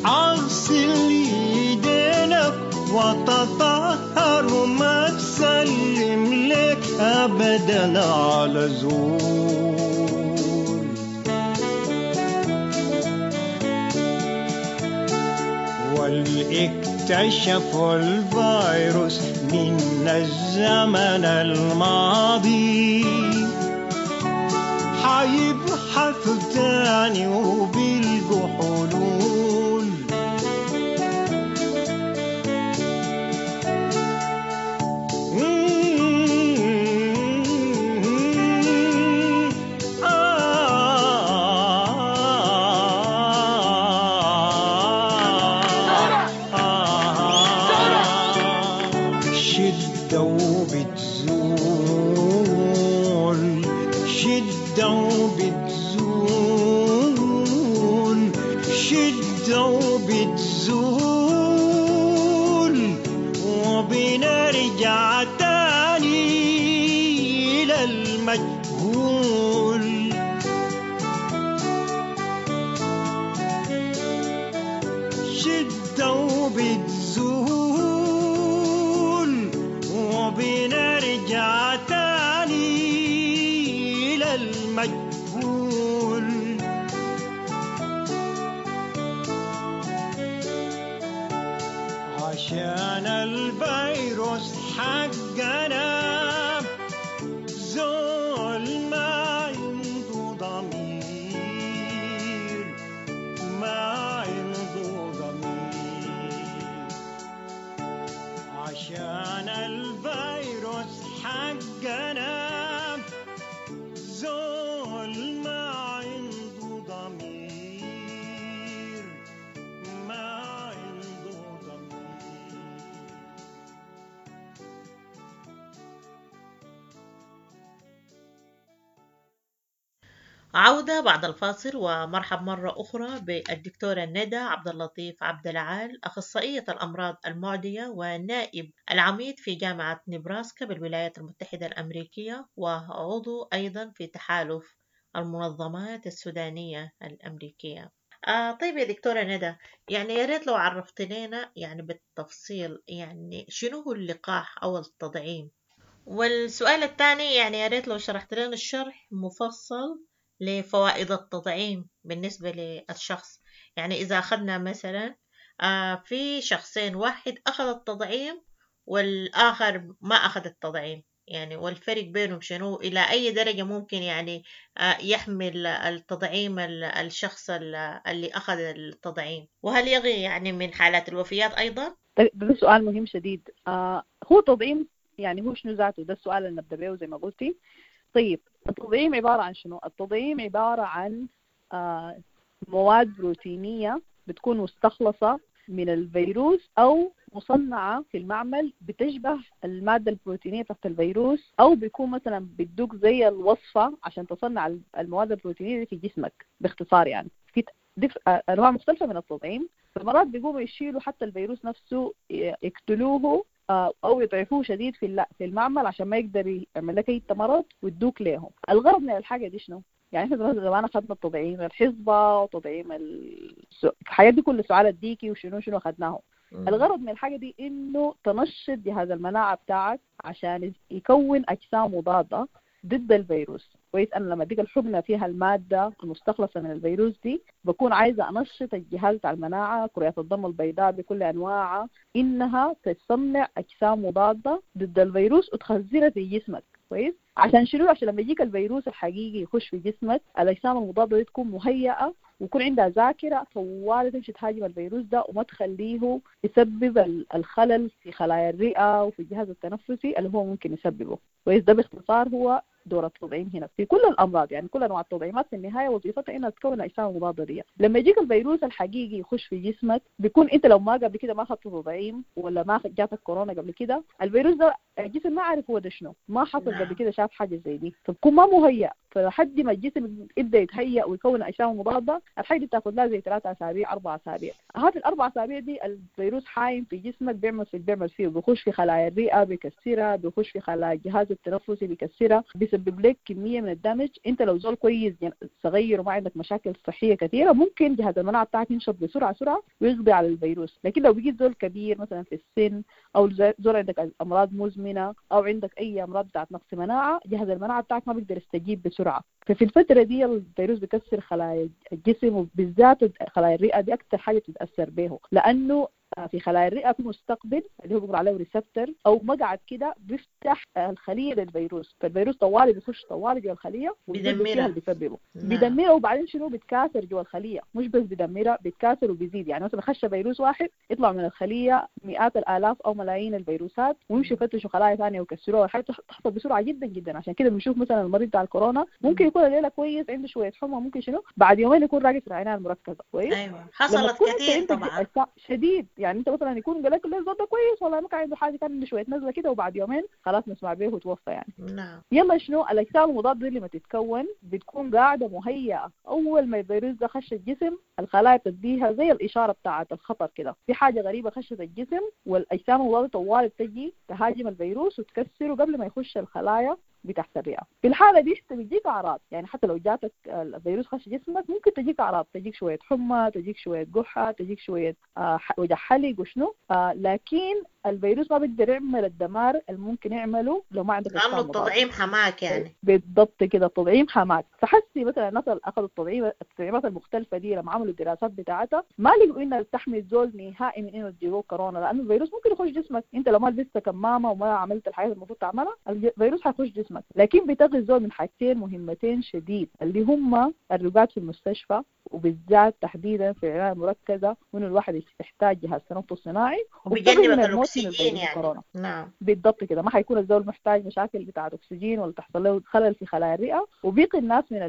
[SPEAKER 11] أغسل يدينك وتطهر وما تسلم لك أبدا على زول. واكتشفوا الفيروس من الزمن الماضي، حيبحثوا تاني وبيلقوا حلول. شدة وبتزول، شدة وبتزول، شدة وبتزول، وبنرجع تاني للمجهول. شدة وبتزول، وبنرجع تاني للمجهول. عشان الفيروس حقنا زول ما عنده ضمير، ما عنده ضمير. عشان الفيروس حقنا زول ما
[SPEAKER 9] عودة بعد الفاصل، ومرحب مرة أخرى بالدكتورة ندى عبد اللطيف عبد العال، أخصائية الأمراض المعدية ونائب العميد في جامعة نبراسكا بالولايات المتحدة الأمريكية، وعضو أيضا في تحالف المنظمات السودانية الأمريكية. طيب يا دكتورة ندى، يعني يا ريت لو عرفت لنا يعني بالتفصيل يعني شنو هو اللقاح أو التطعيم. والسؤال الثاني يعني يا ريت لو شرحت لنا الشرح مفصل لفوائد التطعيم بالنسبة للشخص. يعني إذا أخذنا مثلا في شخصين، واحد أخذ التطعيم والآخر ما أخذ التطعيم، يعني والفرق بينهم شنو؟ إلى أي درجة ممكن يعني يحمل التطعيم الشخص اللي أخذ التطعيم، وهل يغي يعني من حالات الوفيات أيضا؟
[SPEAKER 10] ده سؤال مهم شديد. هو تطعيم يعني هو شنو ذاته؟ ده السؤال اللي نبدأ به زي ما قلتي. طيب التطعيم عبارة عن شنو؟ التطعيم عبارة عن مواد بروتينية بتكون مستخلصة من الفيروس أو مصنعة في المعمل بتشبه المادة البروتينية تحت الفيروس، أو بيكون مثلا بتدوك زي الوصفة عشان تصنع المواد البروتينية في جسمك. باختصار يعني في أنواع مختلفة من التطعيم. فمرات بيقوموا يشيلوا حتى الفيروس نفسه، يقتلوه أو يضعفوه شديد في المعمل عشان ما يقدر يعمل لك أي مرض ويدوك ليهم. الغرض من الحاجة دي شنو؟ يعني احنا زمان اخذنا التطعيم الحصبة وتطعيم الحاجات دي كل سعال الديكي وشنو شنو اخذناه. الغرض من الحاجة دي انه تنشط جهاز المناعة بتاعك عشان يكون اجسام مضادة ضد الفيروس. كويس، انا لما اديك الحقنة فيها المادة المستخلصة من الفيروس دي بكون عايزة انشط الجهاز بتاع المناعة، كريات الدم البيضاء بكل انواعها، انها تصنع اجسام مضادة ضد الفيروس وتخزنها في جسمك. كويس، عشان شنو؟ عشان لما يجيك الفيروس الحقيقي يخش في جسمك الاجسام المضادة دي تكون مهيئة ويكون عندها ذاكره طوال تمشي تهاجم الفيروس ده وما تخليه يسبب الخلل في خلايا الرئة وفي الجهاز التنفسي اللي هو ممكن يسببه. كويس، ده باختصار هو دور التطعيم هنا في كل الامراض. يعني كل انواع التطعيمات في النهاية وظيفتها انها تكون الاجسام المضادة دي. لما يجيك الفيروس الحقيقي يخش في جسمك بيكون انت لو ما قبل كده ما اخذت تطعيم ولا ما جاتك كورونا قبل كده، الفيروس ده الجسم ما عارف هو ده شنو، ما حصل قبل كده شاف حاجة زي دي، فبكون ما مهيأ. فلحد ما الجسم يبدا يتهيأ ويكون اجسام مضادة الحاجة دي بتاخذ لها زي 3 أسابيع 4 أسابيع. هذه ال4 أسابيع دي الفيروس حايم في جسمك، بيعمل فيه، بيخش في خلايا الرئة بيكسرها، بيخش في خلايا الجهاز التنفسي بيكسرها، بيسبب لك كمية من ال damage. انت لو زول كويس صغير وما عندك مشاكل صحية كثيرة ممكن جهاز المناعة بتاعك ينشط بسرعة سرعة ويقضي على الفيروس. لكن لو بقيت زول كبير مثلا في السن او زول عندك امراض مزمنة او عندك اي امراض بتاعت نقص مناعة، جهاز المناعة بتاعك ما بيقدر يستجيب بسرعة. ففي الفترة دي الفيروس بيكسر خلايا الجسم وبالذات خلايا الرئة دي اكثر حاجة بتتاثر به، لانه في خلايا الرئة في مستقبل اللي هو بيقول عليه receptor او مقعد كده بيفتح الخلية للفيروس، فالفيروس طوالي بيخش طوالي جوا الخلية وبيدمرها اللي بيسببه. بيدمرها وبعدين شنو؟ بيتكاثر جوا الخلية، مش بس بيدمرها بيتكاثر وبيزيد. يعني مثلا خش فيروس واحد يطلع من الخلية مئات الالاف او ملايين الفيروسات ويمشوا يفتشوا خلايا ثانية ويكسروها. الحاجة تحصل بسرعة جدا جدا. عشان كده بنشوف مثلا المريض بتاع الكورونا ممكن يكون الليلة كويس عنده شوية حمى ممكن شنو بعد يومين يكون راقد في العناية المركزة. كويس،
[SPEAKER 9] ايوه حصلت كثير طبعا
[SPEAKER 10] شديد. يعني انت مثلا يكون قال لك الزول ده كويس والله ما كان عنده حاجة، كان عنده شوية نزله كده وبعد يومين خلاص نسمع به وتوفى يعني.
[SPEAKER 9] نعم.
[SPEAKER 10] يلا شنو الاجسام المضادة اللي ما تتكون بتكون قاعدة مهيئة، اول ما الفيروس ده خش الجسم الخلايا بتديها زي الاشارة بتاعه الخطر كده، في حاجة غريبة خشت الجسم، والاجسام المضادة طوال بتجي تهاجم الفيروس وتكسره قبل ما يخش الخلايا بتاعت الرئة. في الحالة دي بتجيك اعراض، يعني حتى لو جاتك الفيروس خش جسمك ممكن تجيك اعراض، تجيك شوية حمى، تجيك شوية قحه، تجيك شوية وجع حلق وشنو، لكن الفيروس ما بيقدر يعمل الدمار اللي ممكن يعمله لو ما عندك
[SPEAKER 9] لانه التطعيم حماك يعني.
[SPEAKER 10] بالضبط كده، التطعيم حماك. فحسي مثلا الناس اللي اخذوا التطعيمات المختلفة دي لما عملوا الدراسات بتاعتها ما لقوا انها بتحمي الزول نهائي من انه تجيبه كورونا، لانه الفيروس ممكن يخش جسمك انت لو ما لبست كمامه وما عملت الحاجات المفروض تعملها الفيروس حيخش جسمك. لكن بتغي الزول من حاجتين مهمتين شديد اللي هم الرقاد في المستشفى وبالذات تحديدا في العناية المركزة، وانه الواحد يحتاج جهاز تنفس صناعي
[SPEAKER 9] وبيجنبك الاكسجين يعني. نعم
[SPEAKER 10] بالضبط كده، ما حيكون الزول محتاج مشاكل بتاعه اكسجين ولا تحصل له خلل في خلايا الرئة، وبيقي الناس من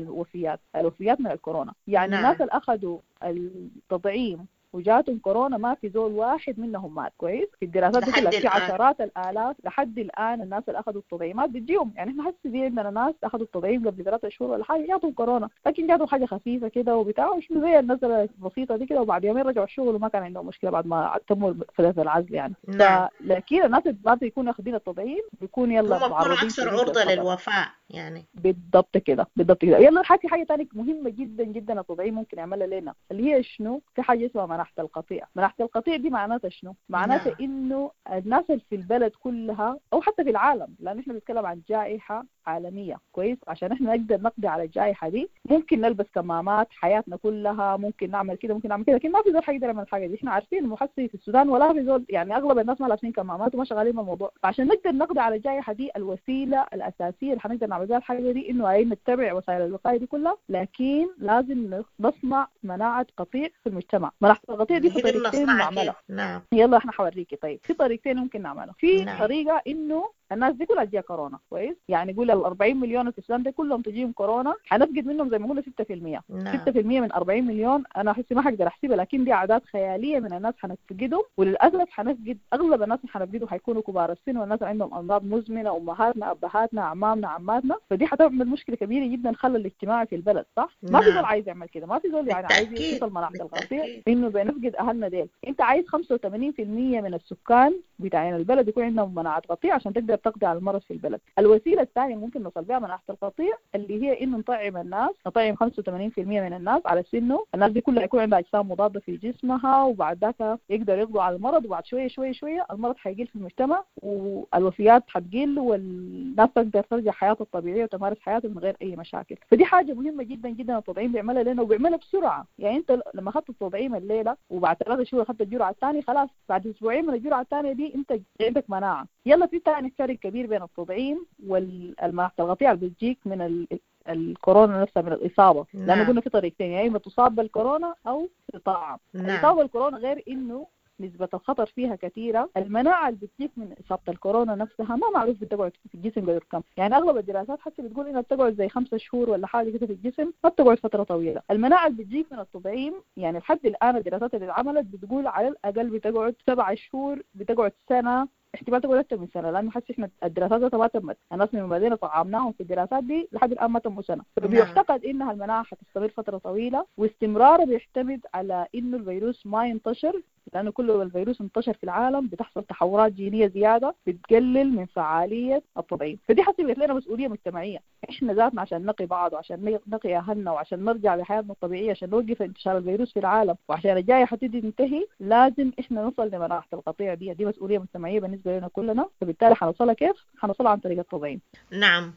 [SPEAKER 10] الوفيات من الكورونا. يعني نعم. الناس اللي اخذوا التطعيم وجاتهم كورونا ما في زول واحد منهم مات. كويس؟ في الدراسات دي كلها في عشرات الالاف لحد الان الناس اللي اخذوا التطعيمات بتجيهم. يعني احنا حسي دي عندنا ناس اخذوا التطعيم قبل 3 شهور ولا حاجة جاتهم كورونا، لكن جاتهم حاجة خفيفة كده وبتاع وشنو زي النزله البسيطة دي كده، وبعد يومين رجعوا الشغل وما كان عندهم مشكلة بعد ما تموا فترة العزل يعني.
[SPEAKER 9] نعم.
[SPEAKER 10] لكن الناس اللي ما بيكونوا اخذين التطعيم بيكون يلا
[SPEAKER 9] معرضين اكثر عرضه للوفاه يعني.
[SPEAKER 10] بالضبط كده، بالضبط كده. يلا حكي حاجة ثانية مهمة جدا جدا التطعيم ممكن يعملها لنا، اللي هي شنو؟ في حاجة اسمها مناعة القطيع. مناعة القطيع دي معناتها شنو؟ معناتها انه الناس اللي في البلد كلها او حتى في العالم، لان احنا بنتكلم عن جائحة عالمية، كويس؟ عشان احنا نقدر نقضي على الجائحة دي ممكن نلبس كمامات حياتنا كلها، ممكن نعمل كده ممكن نعمل كده، لكن ما في زول حيقدر يعمل الحاجة دي. احنا عارفين المحسي في السودان ولا في زول، يعني اغلب الناس ما لابسين كمامات وما شغالين بالموضوع. فعشان نقدر نقضي على الجائحة دي الوسيلة الاساسية اللي حنقدر نعمل بها الحاجة دي انه اي نتبع وسائل الوقاية دي كلها، لكن لازم نصنع مناعة قطيع في المجتمع. مناعة القطيع دي في طريقتين نعملها.
[SPEAKER 9] نعم.
[SPEAKER 10] يلا احنا حوريكي. طيب في طريقتين ممكن نعملها. في طريقه انه الناس دي كلها تجيها كورونا، كويس؟ يعني قول ال 40 مليون في السودان دي كلهم تجيهم كورونا، حنفقد منهم زي ما قلنا 6%. 6% من 40 مليون انا احس ما حقدر احسبها، لكن دي اعداد خيالية من الناس حنفقدهم. وللاسف حنفقد اغلب الناس اللي حنفقدهم حيكونوا كبار السن والناس اللي عندهم امراض مزمنة، امهاتنا ابهاتنا اعمامنا عماتنا. فدي حتعمل مشكلة كبيرة جدا خلل الاجتماعي في البلد، صح؟ ما في زول عايز يعمل كده، ما في زول يعني عايز يوصل مناعة القطيع انه بنفقد اهلنا ديل. انت عايز 85% من السكان بتاعين البلد يكون عندهم مناعة قطيع عشان تقدر تقضي على المرض في البلد. الوسيلة الثانية ممكن نوصل بها مناعة القطيع اللي هي انه نطعم الناس، نطعم 85% من الناس على سنة، الناس دي كلها يكون عندها اجسام مضادة في جسمها، وبعد ذاك يقدر يقضوا على المرض، وبعد شوية شوية شوية المرض حيقل في المجتمع والوفيات حتقل والناس تقدر ترجع حياتها الطبيعية وتمارس حياتها من غير اي مشاكل. فدي حاجة مهمة جدا جدا التطعيم بيعملها لنا وبيعملها بسرعة. يعني انت لما اخذت التطعيم الليلة وبعد 3 شهور اخذت الجرعة الثانية، خلاص بعد اسبوعين من الجرعة الثانية دي انت عندك مناعة. يلا في ثاني فرق كبير بين التطعيم والمناعة القطيع اللي بتجيك من الكورونا نفسها، من الإصابة. لأنه قلنا في طريقتين، يا إما تصاب بالكورونا أو تطعم. الإصابة بالكورونا غير إنه نسبة الخطر فيها كثيرة، المناعة اللي بتجيك من إصابة الكورونا نفسها ما معروف بتقعد في الجسم قدر كم. يعني أغلب الدراسات حتى بتقول إنها بتقعد زي 5 شهور ولا حاجة كده في الجسم، ما بتقعد فترة طويلة. المناعة اللي بتجيك من التطعيم يعني لحد الآن الدراسات اللي اتعملت بتقول على الأقل بتقعد 7 شهور، بتقعد سنة، احتمال تقول أكثر من سنة، لأنه حسي إحنا الدراسات ما تمت، الناس من بعدين طعمناهم في الدراسات دي لحد الآن ما تموا سنة. فبيعتقد إنها المناعة حتستمر فترة طويلة، واستمرارها بيعتمد على إنه الفيروس ما ينتشر، لأنه كل ما الفيروس انتشر في العالم بتحصل تحورات جينية زيادة بتقلل من فعالية التطعيم. فدي حسبت لنا مسؤولية مجتمعية، إحنا ذاتنا عشان نقي بعض وعشان نقي أهلنا وعشان نرجع لحياتنا الطبيعية، عشان نوقف انتشار الفيروس في العالم وعشان الجائحة تبتدي تنتهي، لازم إحنا نوصل لمناعة القطيع دي. دي مسؤولية مجتمعية بالنسبة لنا كلنا، فبالتالي حنوصلها كيف؟ حنوصلها عن طريق التطعيم.
[SPEAKER 9] نعم.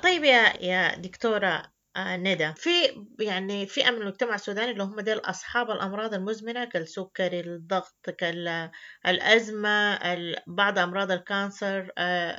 [SPEAKER 9] طيب يا دكتورة ندى، في يعني فئة من المجتمع السوداني اللي هم ديل أصحاب الأمراض المزمنة كالسكري، الضغط، كالأزمة، بعض أمراض ال cancer،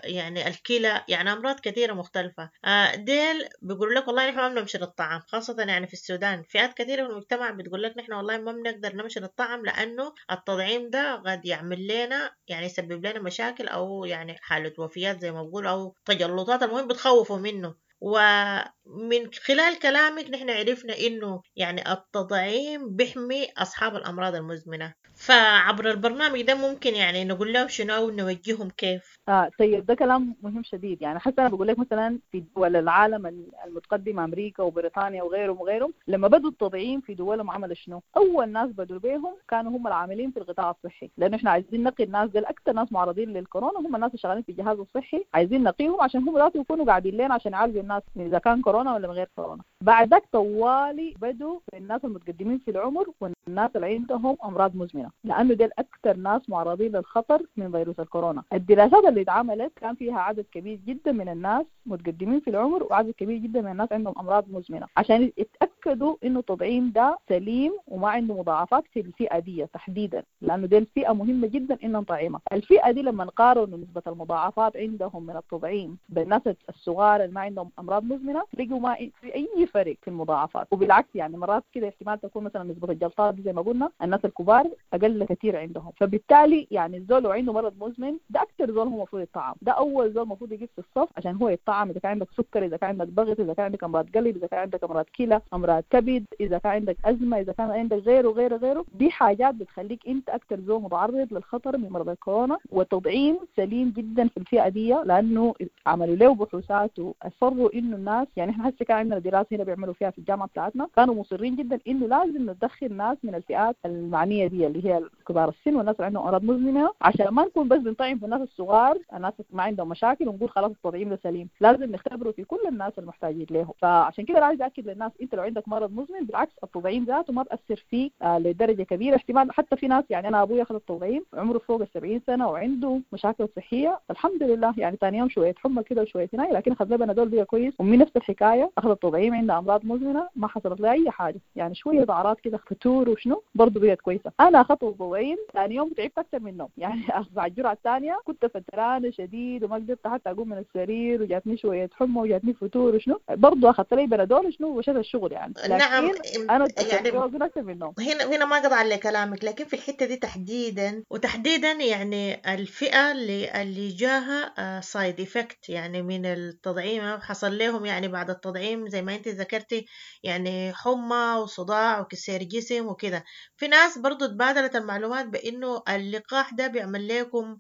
[SPEAKER 9] يعني الكلى، يعني أمراض كثيرة مختلفة. ديل بيقولوا لك والله نحن ما بنمشي للطعام، خاصة يعني في السودان فئات كثيرة من المجتمع بتقول لك نحن والله ما بنقدر نمشي للطعام لأنه التطعيم ده قد يعمل لنا يعني يسبب لنا مشاكل أو يعني حالة وفيات زي ما بقول أو تجلطات، المهم بتخوفوا منه. ومن خلال كلامك نحن عرفنا إنه يعني التطعيم بيحمي أصحاب الأمراض المزمنة، فعبر البرنامج ده ممكن يعني نقول لهم شنو أو نوجههم كيف؟
[SPEAKER 10] طيب ده كلام مهم شديد. يعني حتى أنا بقول لك مثلا في دول العالم المتقدمة، أمريكا وبريطانيا وغيرهم وغيرهم، لما بدوا التطعيم في دولهم عملوا شنو؟ أول ناس بدوا بيهم كانوا هم العاملين في القطاع الصحي، لأنه إحنا عايزين نقي الناس دي، أكثر ناس معرضين للكورونا هم الناس اللي شغالين في الجهاز الصحي، عايزين نقيهم عشان هم ذاتهم يكونوا قاعدين لنا عشان يعالجوا الناس إذا كان كورونا ولا من غير كورونا. بعد ذاك طوالي بدوا الناس المتقدمين في العمر والناس اللي عندهم أمراض مزمنة، لأنه ديل أكثر ناس معرضين للخطر من فيروس الكورونا. الدراسات اللي اتعملت كان فيها عدد كبير جدا من الناس متقدمين في العمر وعدد كبير جدا من الناس عندهم أمراض مزمنة، عشان يتأكدوا إنه التطعيم ده سليم وما عنده مضاعفات في الفئة دي تحديدا، لأنه دي الفئة مهمة جدا إنه نطعمها. الفئة دي لما نقارن نسبة المضاعفات عندهم من التطعيم بالناس الصغار اللي ما عندهم أمراض مزمنة، لقوا ما في أي فرق في المضاعفات، وبالعكس يعني مرات كده احتمال تكون مثلا نسبة الجلطات زي ما قلنا الناس الكبار أقل اقل كثير عندهم. فبالتالي يعني الزول لو عنده مرض مزمن ده اكثر زول هو المفروض يطعم، ده اول زول المفروض يجي في الصف عشان هو يطعم. اذا كان عندك سكر، اذا كان عندك ضغط، اذا كان عندك امراض قلب، اذا كان عندك امراض كلى، امراض كبد، اذا كان عندك ازمة، اذا كان عندك غيره غيره غيره، دي حاجات بتخليك انت اكثر زول متعرض للخطر من مرض الكورونا. والتطعيم سليم جدا في الفئة دي لانه عملوا له بحوثات واصروا انه الناس، يعني احنا هسه كان عندنا دراسة هنا بيعملوا فيها في الجامعة بتاعتنا، كانوا مصرين جدا انه لازم ندخل ناس من الفئات المعنية دي اللي هي كبار السن والناس اللي عندهم امراض مزمنة، عشان ما نكون بس بنطعم في الناس الصغار، الناس ما عندهم مشاكل، ونقول خلاص التطعيم ده سليم. لازم نختبره في كل الناس المحتاجين له. فعشان كده عايز اكد للناس انت لو عندك مرض مزمن بالعكس التطعيم ذاته ما بأثر فيك لدرجة كبيرة. احتمال حتى في ناس، يعني انا ابوي اخذ التطعيم عمره فوق 70 سنة وعنده مشاكل صحية، الحمد لله يعني ثاني يوم شوية حمى كده وشوية هناي، لكن اخذ بنادول بقى كويس. امي نفس الحكاية اخذت التطعيم عندها امراض مزمنة ما حصلت لها اي حاجة، يعني شوية اعراض كده فتور وشنو برضه بقت كويسة. انا اخذت التطعيم ثاني يوم تعبت اكثر منهم، يعني بعد الجرعة الثانية كنت فترانه شديد وما قدرت حتى اقوم من السرير، وجاتني شوية حمى وجاتني فتور وشنو، برضه اخذت لي بنادول وشنو وشت الشغل يعني. لكن
[SPEAKER 9] نعم
[SPEAKER 10] انا
[SPEAKER 9] يعني
[SPEAKER 10] اكثر منهم.
[SPEAKER 9] هنا ما قطع على كلامك، لكن في الحتة دي تحديدا وتحديدا يعني الفئة اللي جاها side effect يعني من التطعيم، حصل لهم يعني بعد التطعيم زي ما انت ذكرتي يعني حمى وصداع وكسير جسم وكده. في ناس برضو تبادلت المعلومات بانه اللقاح ده بيعمل لكم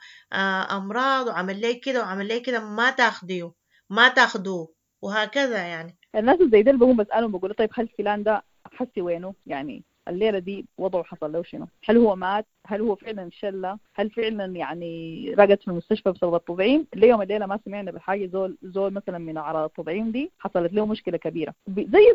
[SPEAKER 9] امراض وعمل لي كده وعمل لي كده، ما تاخدوه وهكذا. يعني
[SPEAKER 10] الناس زي ده اللي بقوم بسألهم بقول طيب هل فلان ده حسي وينه؟ يعني الليلة دي وضعه حصل له شنو؟ هل هو مات؟ هل هو فعلا شلة؟ هل فعلا يعني رقد في المستشفى بسبب التطعيم؟ ليوم الليلة ما سمعنا بحاجة زول مثلا من أعراض التطعيم دي حصلت له مشكلة كبيرة،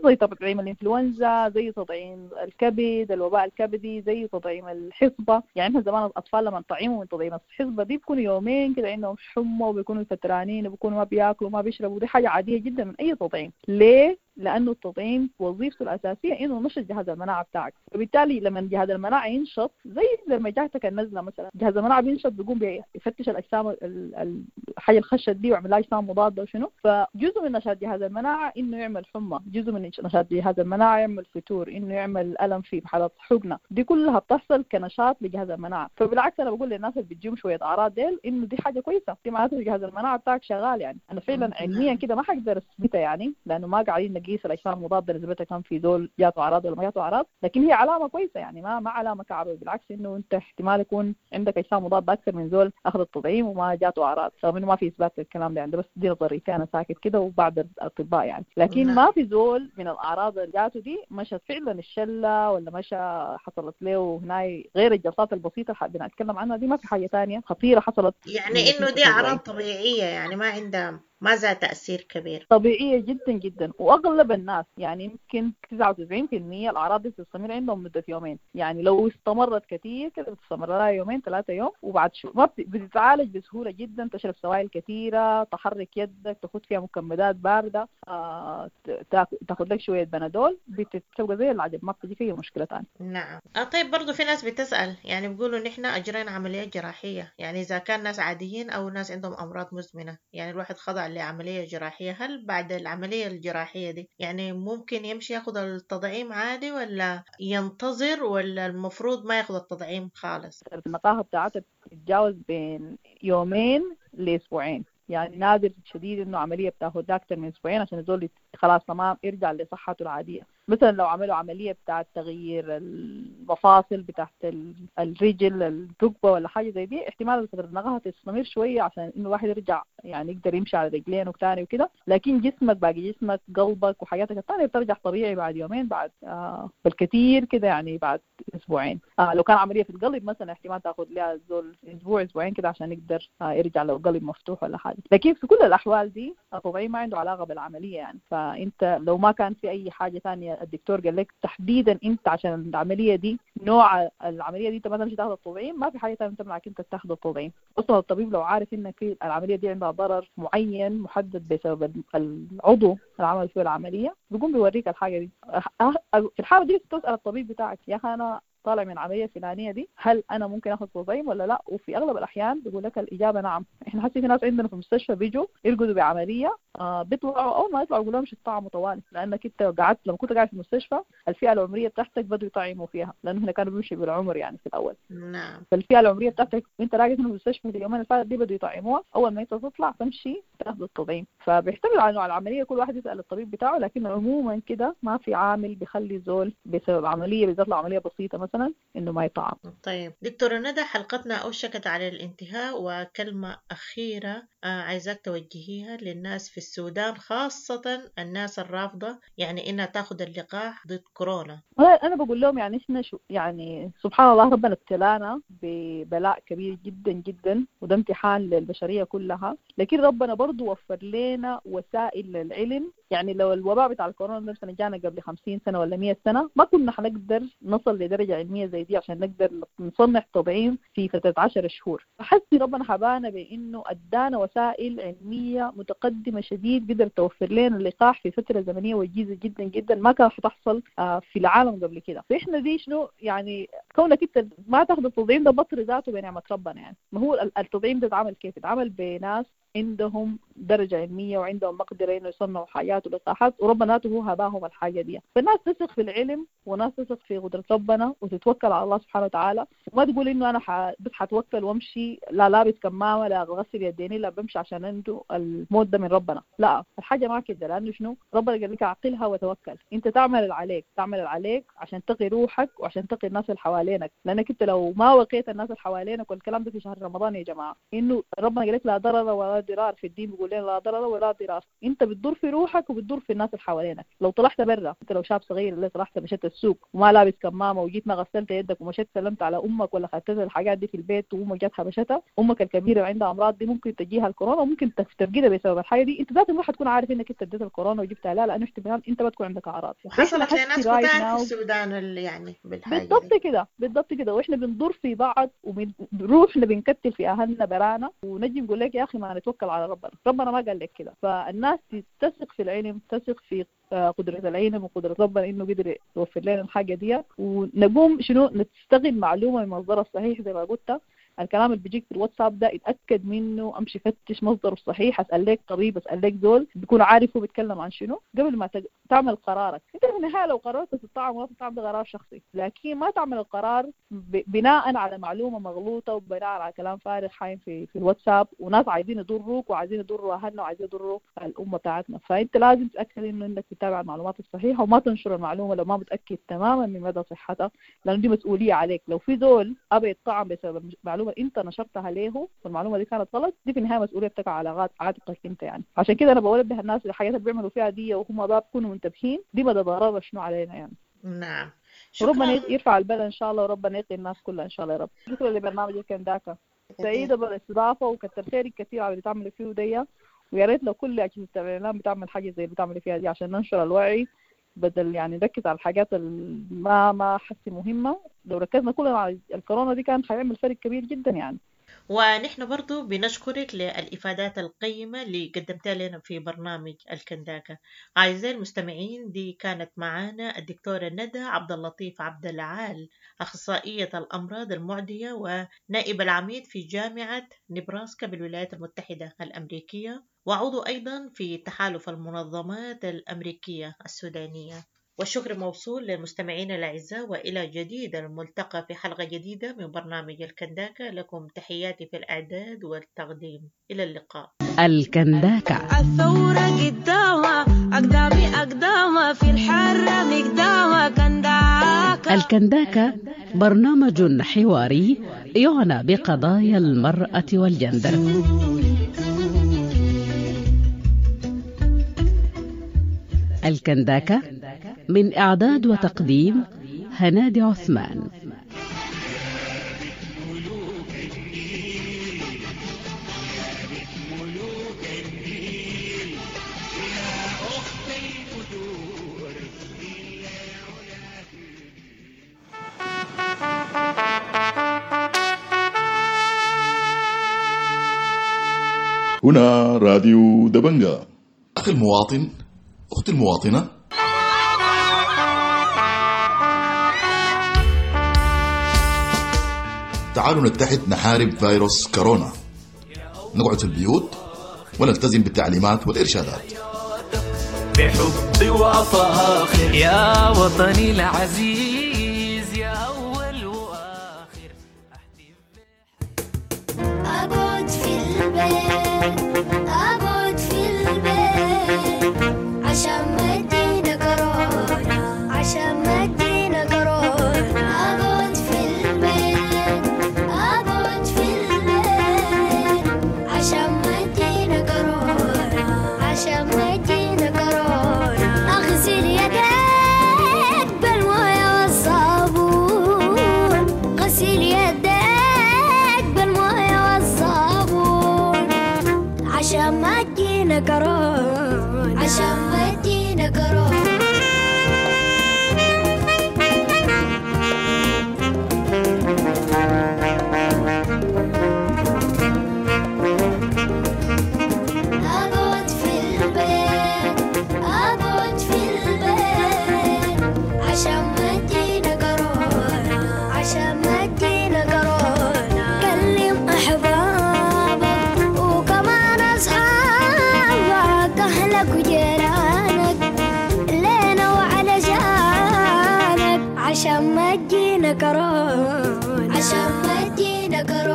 [SPEAKER 10] زي تطعيم الإنفلونزا، زي تطعيم الكبد، الوباء الكبدي، زي تطعيم الحصبة. يعني احنا زمان الأطفال لما نطعمهم من تطعيم الحصبة دي بيكونوا يومين كده عندهم حمى وبيكونوا فترانين وبيكونوا ما بياكلوا وما بيشربوا، دي حاجة عادية جدا من أي تطعيم. ليه؟ لأنه التطعيم وظيفته الأساسية إنه نشط جهاز المناعة بتاعك، فبالتالي لما جهاز المناعة ينشط زي لما جاتك النزلة مثلا، جهاز المناعة بينشط بيقوم بيفتش الأجسام الحاجة الخشة دي ويعمل لها أجسام مضادة وشنو. فجزء من نشاط جهاز المناعة إنه يعمل حمى، جزء من نشاط جهاز المناعة يعمل فتور، إنه يعمل ألم في حالات حقنة، دي كلها بتحصل كنشاط لجهاز المناعة. فبالعكس أنا بقول للناس اللي بتجيهم شوية أعراض ديل إنه دي حاجة كويسة، دي معناته جهاز المناعة بتاعك شغال. يعني أنا فعلا علميا كده ما حقدر أثبتها يعني، لأنه ما قاعدين نقيس الأجسام المضادة نسبتها كم في دول جاته أعراض ولا ما جاته أعراض، لكن هي علامة كويسة يعني ما علامة كعبة، بالعكس إنه أنت احتمال يكون عندك أجسام مضادة أكثر من زول أخذ التطعيم وما جاته أعراض، رغم إنه ما في إثبات للكلام ده عنده، بس دي نظريتي أنا ساكت كده وبعض الأطباء يعني. لكن ما في زول من الأعراض اللي جاته دي مشت فعلا الشلة ولا مشى حصلت له هناي غير الجلطات البسيطة اللي بنتكلم عنها دي، ما في حاجة تانية خطيرة حصلت.
[SPEAKER 9] يعني إنه دي أعراض طبيعية يعني ما عندها ما ذا تأثير كبير،
[SPEAKER 10] طبيعية جدا جدا. وأغلب الناس يعني يمكن 99% الأعراض دي بتستمر عندهم مدة يومين، يعني لو استمرت كثير كده بتستمر لها يومين 3 يوم وبعد شو ما بتتعالج بسهولة جدا. تشرب سوائل كثيرة، تحرك يدك، تاخد فيها مكمدات باردة، تاخد لك شوية بنادول، بتبقى زي العجب، ما بتجي فيها مشكلة ثانية.
[SPEAKER 9] نعم. طيب برضو في ناس بتسأل يعني بيقولوا نحن أجرينا عملية جراحية، يعني إذا كان ناس عاديين أو ناس عندهم أمراض مزمنة، يعني الواحد خضع لعملية جراحية، هل بعد العملية الجراحية دي يعني ممكن يمشي ياخد التطعيم عادي ولا ينتظر ولا المفروض ما ياخد التطعيم خالص؟
[SPEAKER 10] النقاهة بتاعتها بتتجاوز بين يومين لأسبوعين، يعني نادر شديد انه عملية بتاخد اكثر من اسبوعين عشان الزول خلاص تمام يرجع لصحته العادية. مثلا لو عملوا عملية بتاعه تغيير المفاصل بتاعت الرجل، الركبة ولا حاجة زي دي، احتمال فترة النقاهه تستمر شوية عشان انه الواحد يرجع يعني يقدر يمشي على رجلين وتاني وكده، لكن جسمك باقي جسمك قلبك وحياتك الثانية بترجع طبيعي بعد يومين، بعد بالكثير كده يعني بعد اسبوعين. لو كان عملية في القلب مثلا احتمال تاخذ لها الزول اسبوع اسبوعين كده عشان يقدر يرجع لو قلب مفتوح ولا حاجة. لكن في كل الاحوال دي الطبيعي ما عنده علاقة بالعملية يعني، فانت لو ما كان في اي حاجة ثانية الدكتور قال لك تحديدا انت عشان العملية دي نوع العملية دي انت ما تمشي تاخذ التطعيم، ما في حاجة ثانية تمنعك انت تاخذ التطعيم. اصلا الطبيب لو عارف انك في العملية دي عندها ضرر معين محدد بسبب العضو اللي عمل فيه العملية بيقوم بيوريك الحاجة دي. في الحالة دي تسال الطبيب بتاعك يا اخي انا طالع من عملية فلانيه دي، هل انا ممكن اخذ تطعيم ولا لا؟ وفي اغلب الاحيان بيقول لك الاجابة نعم. احنا حسي في ناس عندنا في المستشفى بيجوا يرقدوا بعملية، بيطلعوا اول ما يطلعوا يقولوا لهم مش تطعموا طوالي، لانك انت قعدت لما كنت قاعد في المستشفى الفئة العمرية بتاعتك بدوا يطعموا فيها، لانه هنا كانوا بيمشوا بالعمر يعني في الاول.
[SPEAKER 9] نعم.
[SPEAKER 10] فالفئه العمرية بتاعتك وانت راقد في المستشفى اليومين اللي فاتت دي بدوا يطعموها، اول ما انت تطلع تمشي تاخذ التطعيم. فبيعتمد على نوع العملية، كل واحد يسال الطبيب بتاعه، لكن عموما كده ما في عامل بيخلي زول بسبب عملية، بالذات لو عملية بسيطة مثلا، انه ما يطعم.
[SPEAKER 9] طيب دكتورة ندى، حلقتنا أوشكت على الانتهاء، وكلمة أخيرة عايزاك توجهيها للناس في السودان، خاصة الناس الرافضة يعني إنها تاخذ اللقاح ضد كورونا.
[SPEAKER 10] أنا بقول لهم يعني إحنا شو يعني سبحان الله ربنا ابتلانا ببلاء كبير جدا جدا، وده امتحان للبشرية كلها، لكن ربنا برضو وفر لنا وسائل للعلم. يعني لو الوباء بتاع الكورونا مثلا جانا قبل 50 سنة ولا 100 سنة ما كنا حنقدر نصل لدرجة علمية زي دي عشان نقدر نصنع تطعيم في فترة 10 شهور. فحسي ربنا حبانا بإنه أدانا وسائل علمية متقدمة شديد قدر توفر لنا اللقاح في فترة زمنية وجيزة جدا جدا ما كان حتحصل في العالم قبل كده. فإحنا دي شنو يعني كونك أنت ما تاخذ التطعيم ده بطر ذاته بنعمة ربنا. يعني ما هو التطعيم ده اتعمل كيف؟ اتعمل بناس عندهم درجة علمية وعندهم مقدرة إنه يصنعوا حاجات ولقاحات، وربنا هو هباهم الحاجة دي. فالناس تثق في العلم وناس تثق في قدرة ربنا وتتوكل على الله سبحانه وتعالى، وما تقول إنه أنا بس حتوكل وامشي، لا لابس كمامة لا غسل يديني لا بمشي عشان عنده الموت ده من ربنا. لا، الحاجة ما كده، لأنه شنو ربنا قال لك عقلها وتوكل. أنت تعمل اللي عليك، تعمل اللي عليك عشان تقي روحك وعشان تقي الناس اللي حوالينك، لأنك أنت لو ما وقيت الناس اللي حوالينك، والكلام ده في شهر رمضان يا جماعة، إنه ربنا قال لك لا ضرر ولا ضرار، في الدين بيقول لنا لا ضرر ولا ضرار. انت بتضر في روحك وبتضر في الناس اللي حوالينك. لو طلعت برا، انت لو شاب صغير اللي طلعت مشيت السوق وما لابس كمامه وجيت ما غسلت يدك ومشيت سلمت على امك ولا خدت الحاجات دي في البيت وامك جت حبشتها، امك الكبيرة وعندها امراض دي ممكن تجيها الكورونا وممكن تفقدها بسبب الحاجة دي. انت ذاتك ما حتكون عارف انك انت اديت الكورونا وجبتها، لا، لانه احتمال انت ما تكون عندك اعراض.
[SPEAKER 9] وحصلت لناس كتار في السودان اللي يعني بالحاجة
[SPEAKER 10] بالضبط كده، بالضبط كده. واحنا بنضر في بعض وبنروحنا بنكتل في اهلنا برانا، ونجي نقول لك يا اخي ما نتوكل على ربنا، ربنا ما قال لك كده. فالناس تثق في العلم، تثق في قدرة العلم وقدرة ربنا إنه قدر يوفر لنا الحاجة دي، ونقوم شنو نستغل معلومة من مصدرها الصحيح. زي ما قلت الكلام اللي بيجيك في الواتساب ده اتأكد منه، امشي فتش مصدره الصحيح، اسأل لك طبيب، اسأل لك زول بيكون عارف هو بيتكلم عن شنو قبل ما تعمل قرارك. انت في النهاية لو قررت تطعم ولا تطعم ده قرار شخصي، لكن ما تعمل القرار بناء على معلومة مغلوطة وبناء على كلام فارغ حايم في الواتساب، وناس عايزين يضروك وعايزين يضروا اهلنا وعايزين يضروا الأمة بتاعتنا. فانت لازم تتأكد انه انك تتابع المعلومات الصحيحة وما تنشر المعلومة لو ما متأكد تماما من مدى صحتها، لأنه دي مسؤولية عليك. لو في زول أبى يطعم بسبب معلومة انت نشرتها له والمعلومه دي كانت غلط، دي في النهاية مسؤولية بتقع على عاتقك انت يعني. عشان كده انا بنبه الناس الحاجات اللي بيعملوا فيها دي وهم ما بيكونوا منتبهين، دي مدى ضررها شنو علينا يعني.
[SPEAKER 9] نعم،
[SPEAKER 10] ربنا يرفع البلاء ان شاء الله، وربنا يقي الناس كلها ان شاء الله يا رب. شكرا لبرنامج الكنداكا، سعيدة بالاستضافه وكتر خيرك كثير على اللي بتعملي فيه دي، ويا ريت لو كل اجهزة الاعلام بتعمل حاجة زي اللي بتعملي فيها دي عشان ننشر الوعي، بدل يعني نركز على الحاجات اللي ما حسي مهمة. لو ركزنا كلنا على الكورونا دي كان حيعمل فرق كبير جدا يعني.
[SPEAKER 9] ونحن برضو بنشكرك للإفادات القيمة اللي قدمتها لنا في برنامج الكنداكا. أعزائي المستمعين، دي كانت معانا الدكتورة ندى عبد اللطيف عبد العال، أخصائية الأمراض المعدية ونائب العميد في جامعة نبراسكا بالولايات المتحدة الأمريكية، وعضو أيضا في تحالف المنظمات الأمريكية السودانية. والشكر موصول للمستمعين الأعزاء، وإلى جديد الملتقى في حلقة جديدة من برنامج الكنداكا. لكم تحياتي في الإعداد والتقديم، إلى اللقاء.
[SPEAKER 6] الكنداكا،
[SPEAKER 8] الثورة قدامة أقدامي أقدامة في الحرة مقدامة كنداكا.
[SPEAKER 6] الكنداكا برنامج حواري يعنى بقضايا المرأة والجندر. الكنداكا من إعداد وتقديم هنادي عثمان.
[SPEAKER 1] هنا راديو دبنجا.
[SPEAKER 12] أخي المواطن، أختي المواطنة، تعالوا نتحد نحارب فيروس كورونا، نقعد في البيوت ونلتزم بالتعليمات والإرشادات.
[SPEAKER 13] بحبي وأفاخر يا وطني العزيز يا أول وآخر.
[SPEAKER 7] أقعد في البيت، أقعد في البيت عشان ما تجينا كورونا، عشان ما تجينا كورونا. أقعد في البيت، أقعد في البيت عشان ما تجينا كورونا، عشان ما تجينا كورونا. أغسل يديك بالموية والصابون، غسل يديك بالموية والصابون عشان ما تجينا كورونا، عشان ما تجينا كورونا. أقعد في البيت، أقعد في البيت عشان ما تجينا كورونا، عشان ما تجينا كورونا. كلم أحبابك وكمان أصحابك، أهلك وجيرانك لينا وعلشانك عشان ما تجينا كورونا، عشان ما تجينا كورونا.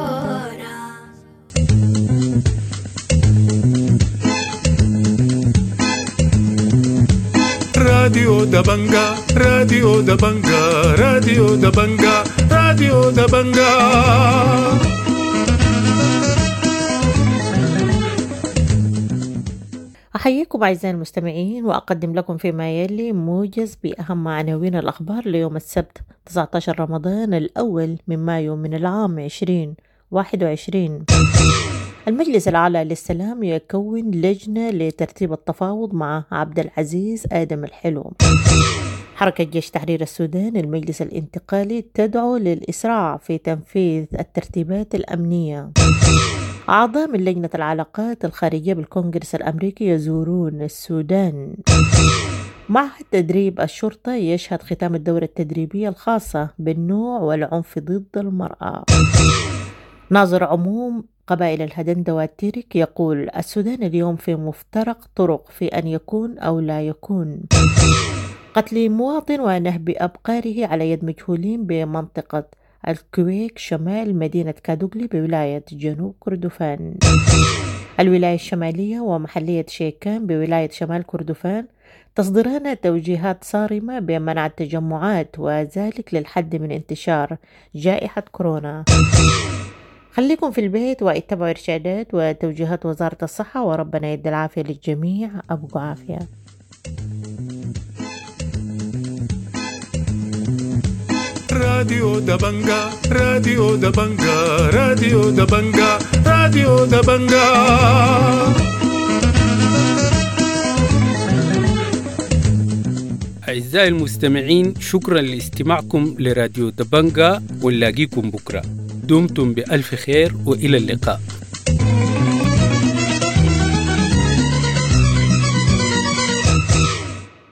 [SPEAKER 14] راديو دبنجا، راديو دبنجا، راديو دبنجا، راديو دبنجا.
[SPEAKER 9] أحييكم أعزائي المستمعين، وأقدم لكم فيما يلي موجز بأهم عناوين الأخبار ليوم السبت 19 رمضان الأول من مايو من العام 2021. المجلس الأعلى للسلام يكون لجنة لترتيب التفاوض مع عبد العزيز آدم الحلو. حركة جيش تحرير السودان المجلس الانتقالي تدعو للإسراع في تنفيذ الترتيبات الأمنية. أعضاء من لجنة العلاقات الخارجية بالكونغرس الأمريكي يزورون السودان. معهد تدريب الشرطة يشهد ختام الدورة التدريبية الخاصة بالنوع والعنف ضد المرأة. ناظر عموم قبائل الهدندوة والتيرك يقول السودان اليوم في مفترق طرق في أن يكون أو لا يكون. قتل مواطن ونهب أبقاره على يد مجهولين بمنطقة الكويك شمال مدينة كادوغلي بولاية جنوب كردفان. الولاية الشمالية ومحلية شيكان بولاية شمال كردفان تصدران توجيهات صارمة بمنع التجمعات وذلك للحد من انتشار جائحة كورونا. خليكم في البيت واتبعوا إرشادات وتوجيهات وزارة الصحة، وربنا يدي العافية للجميع. أبقوا عافية.
[SPEAKER 14] راديو دبنجا، راديو دبنجا، راديو دبنجا، راديو دبنجا.
[SPEAKER 4] أعزائي المستمعين، شكرا لاستماعكم لراديو دبنجا، ونلاقيكم بكرة. دمتم بألف خير وإلى اللقاء.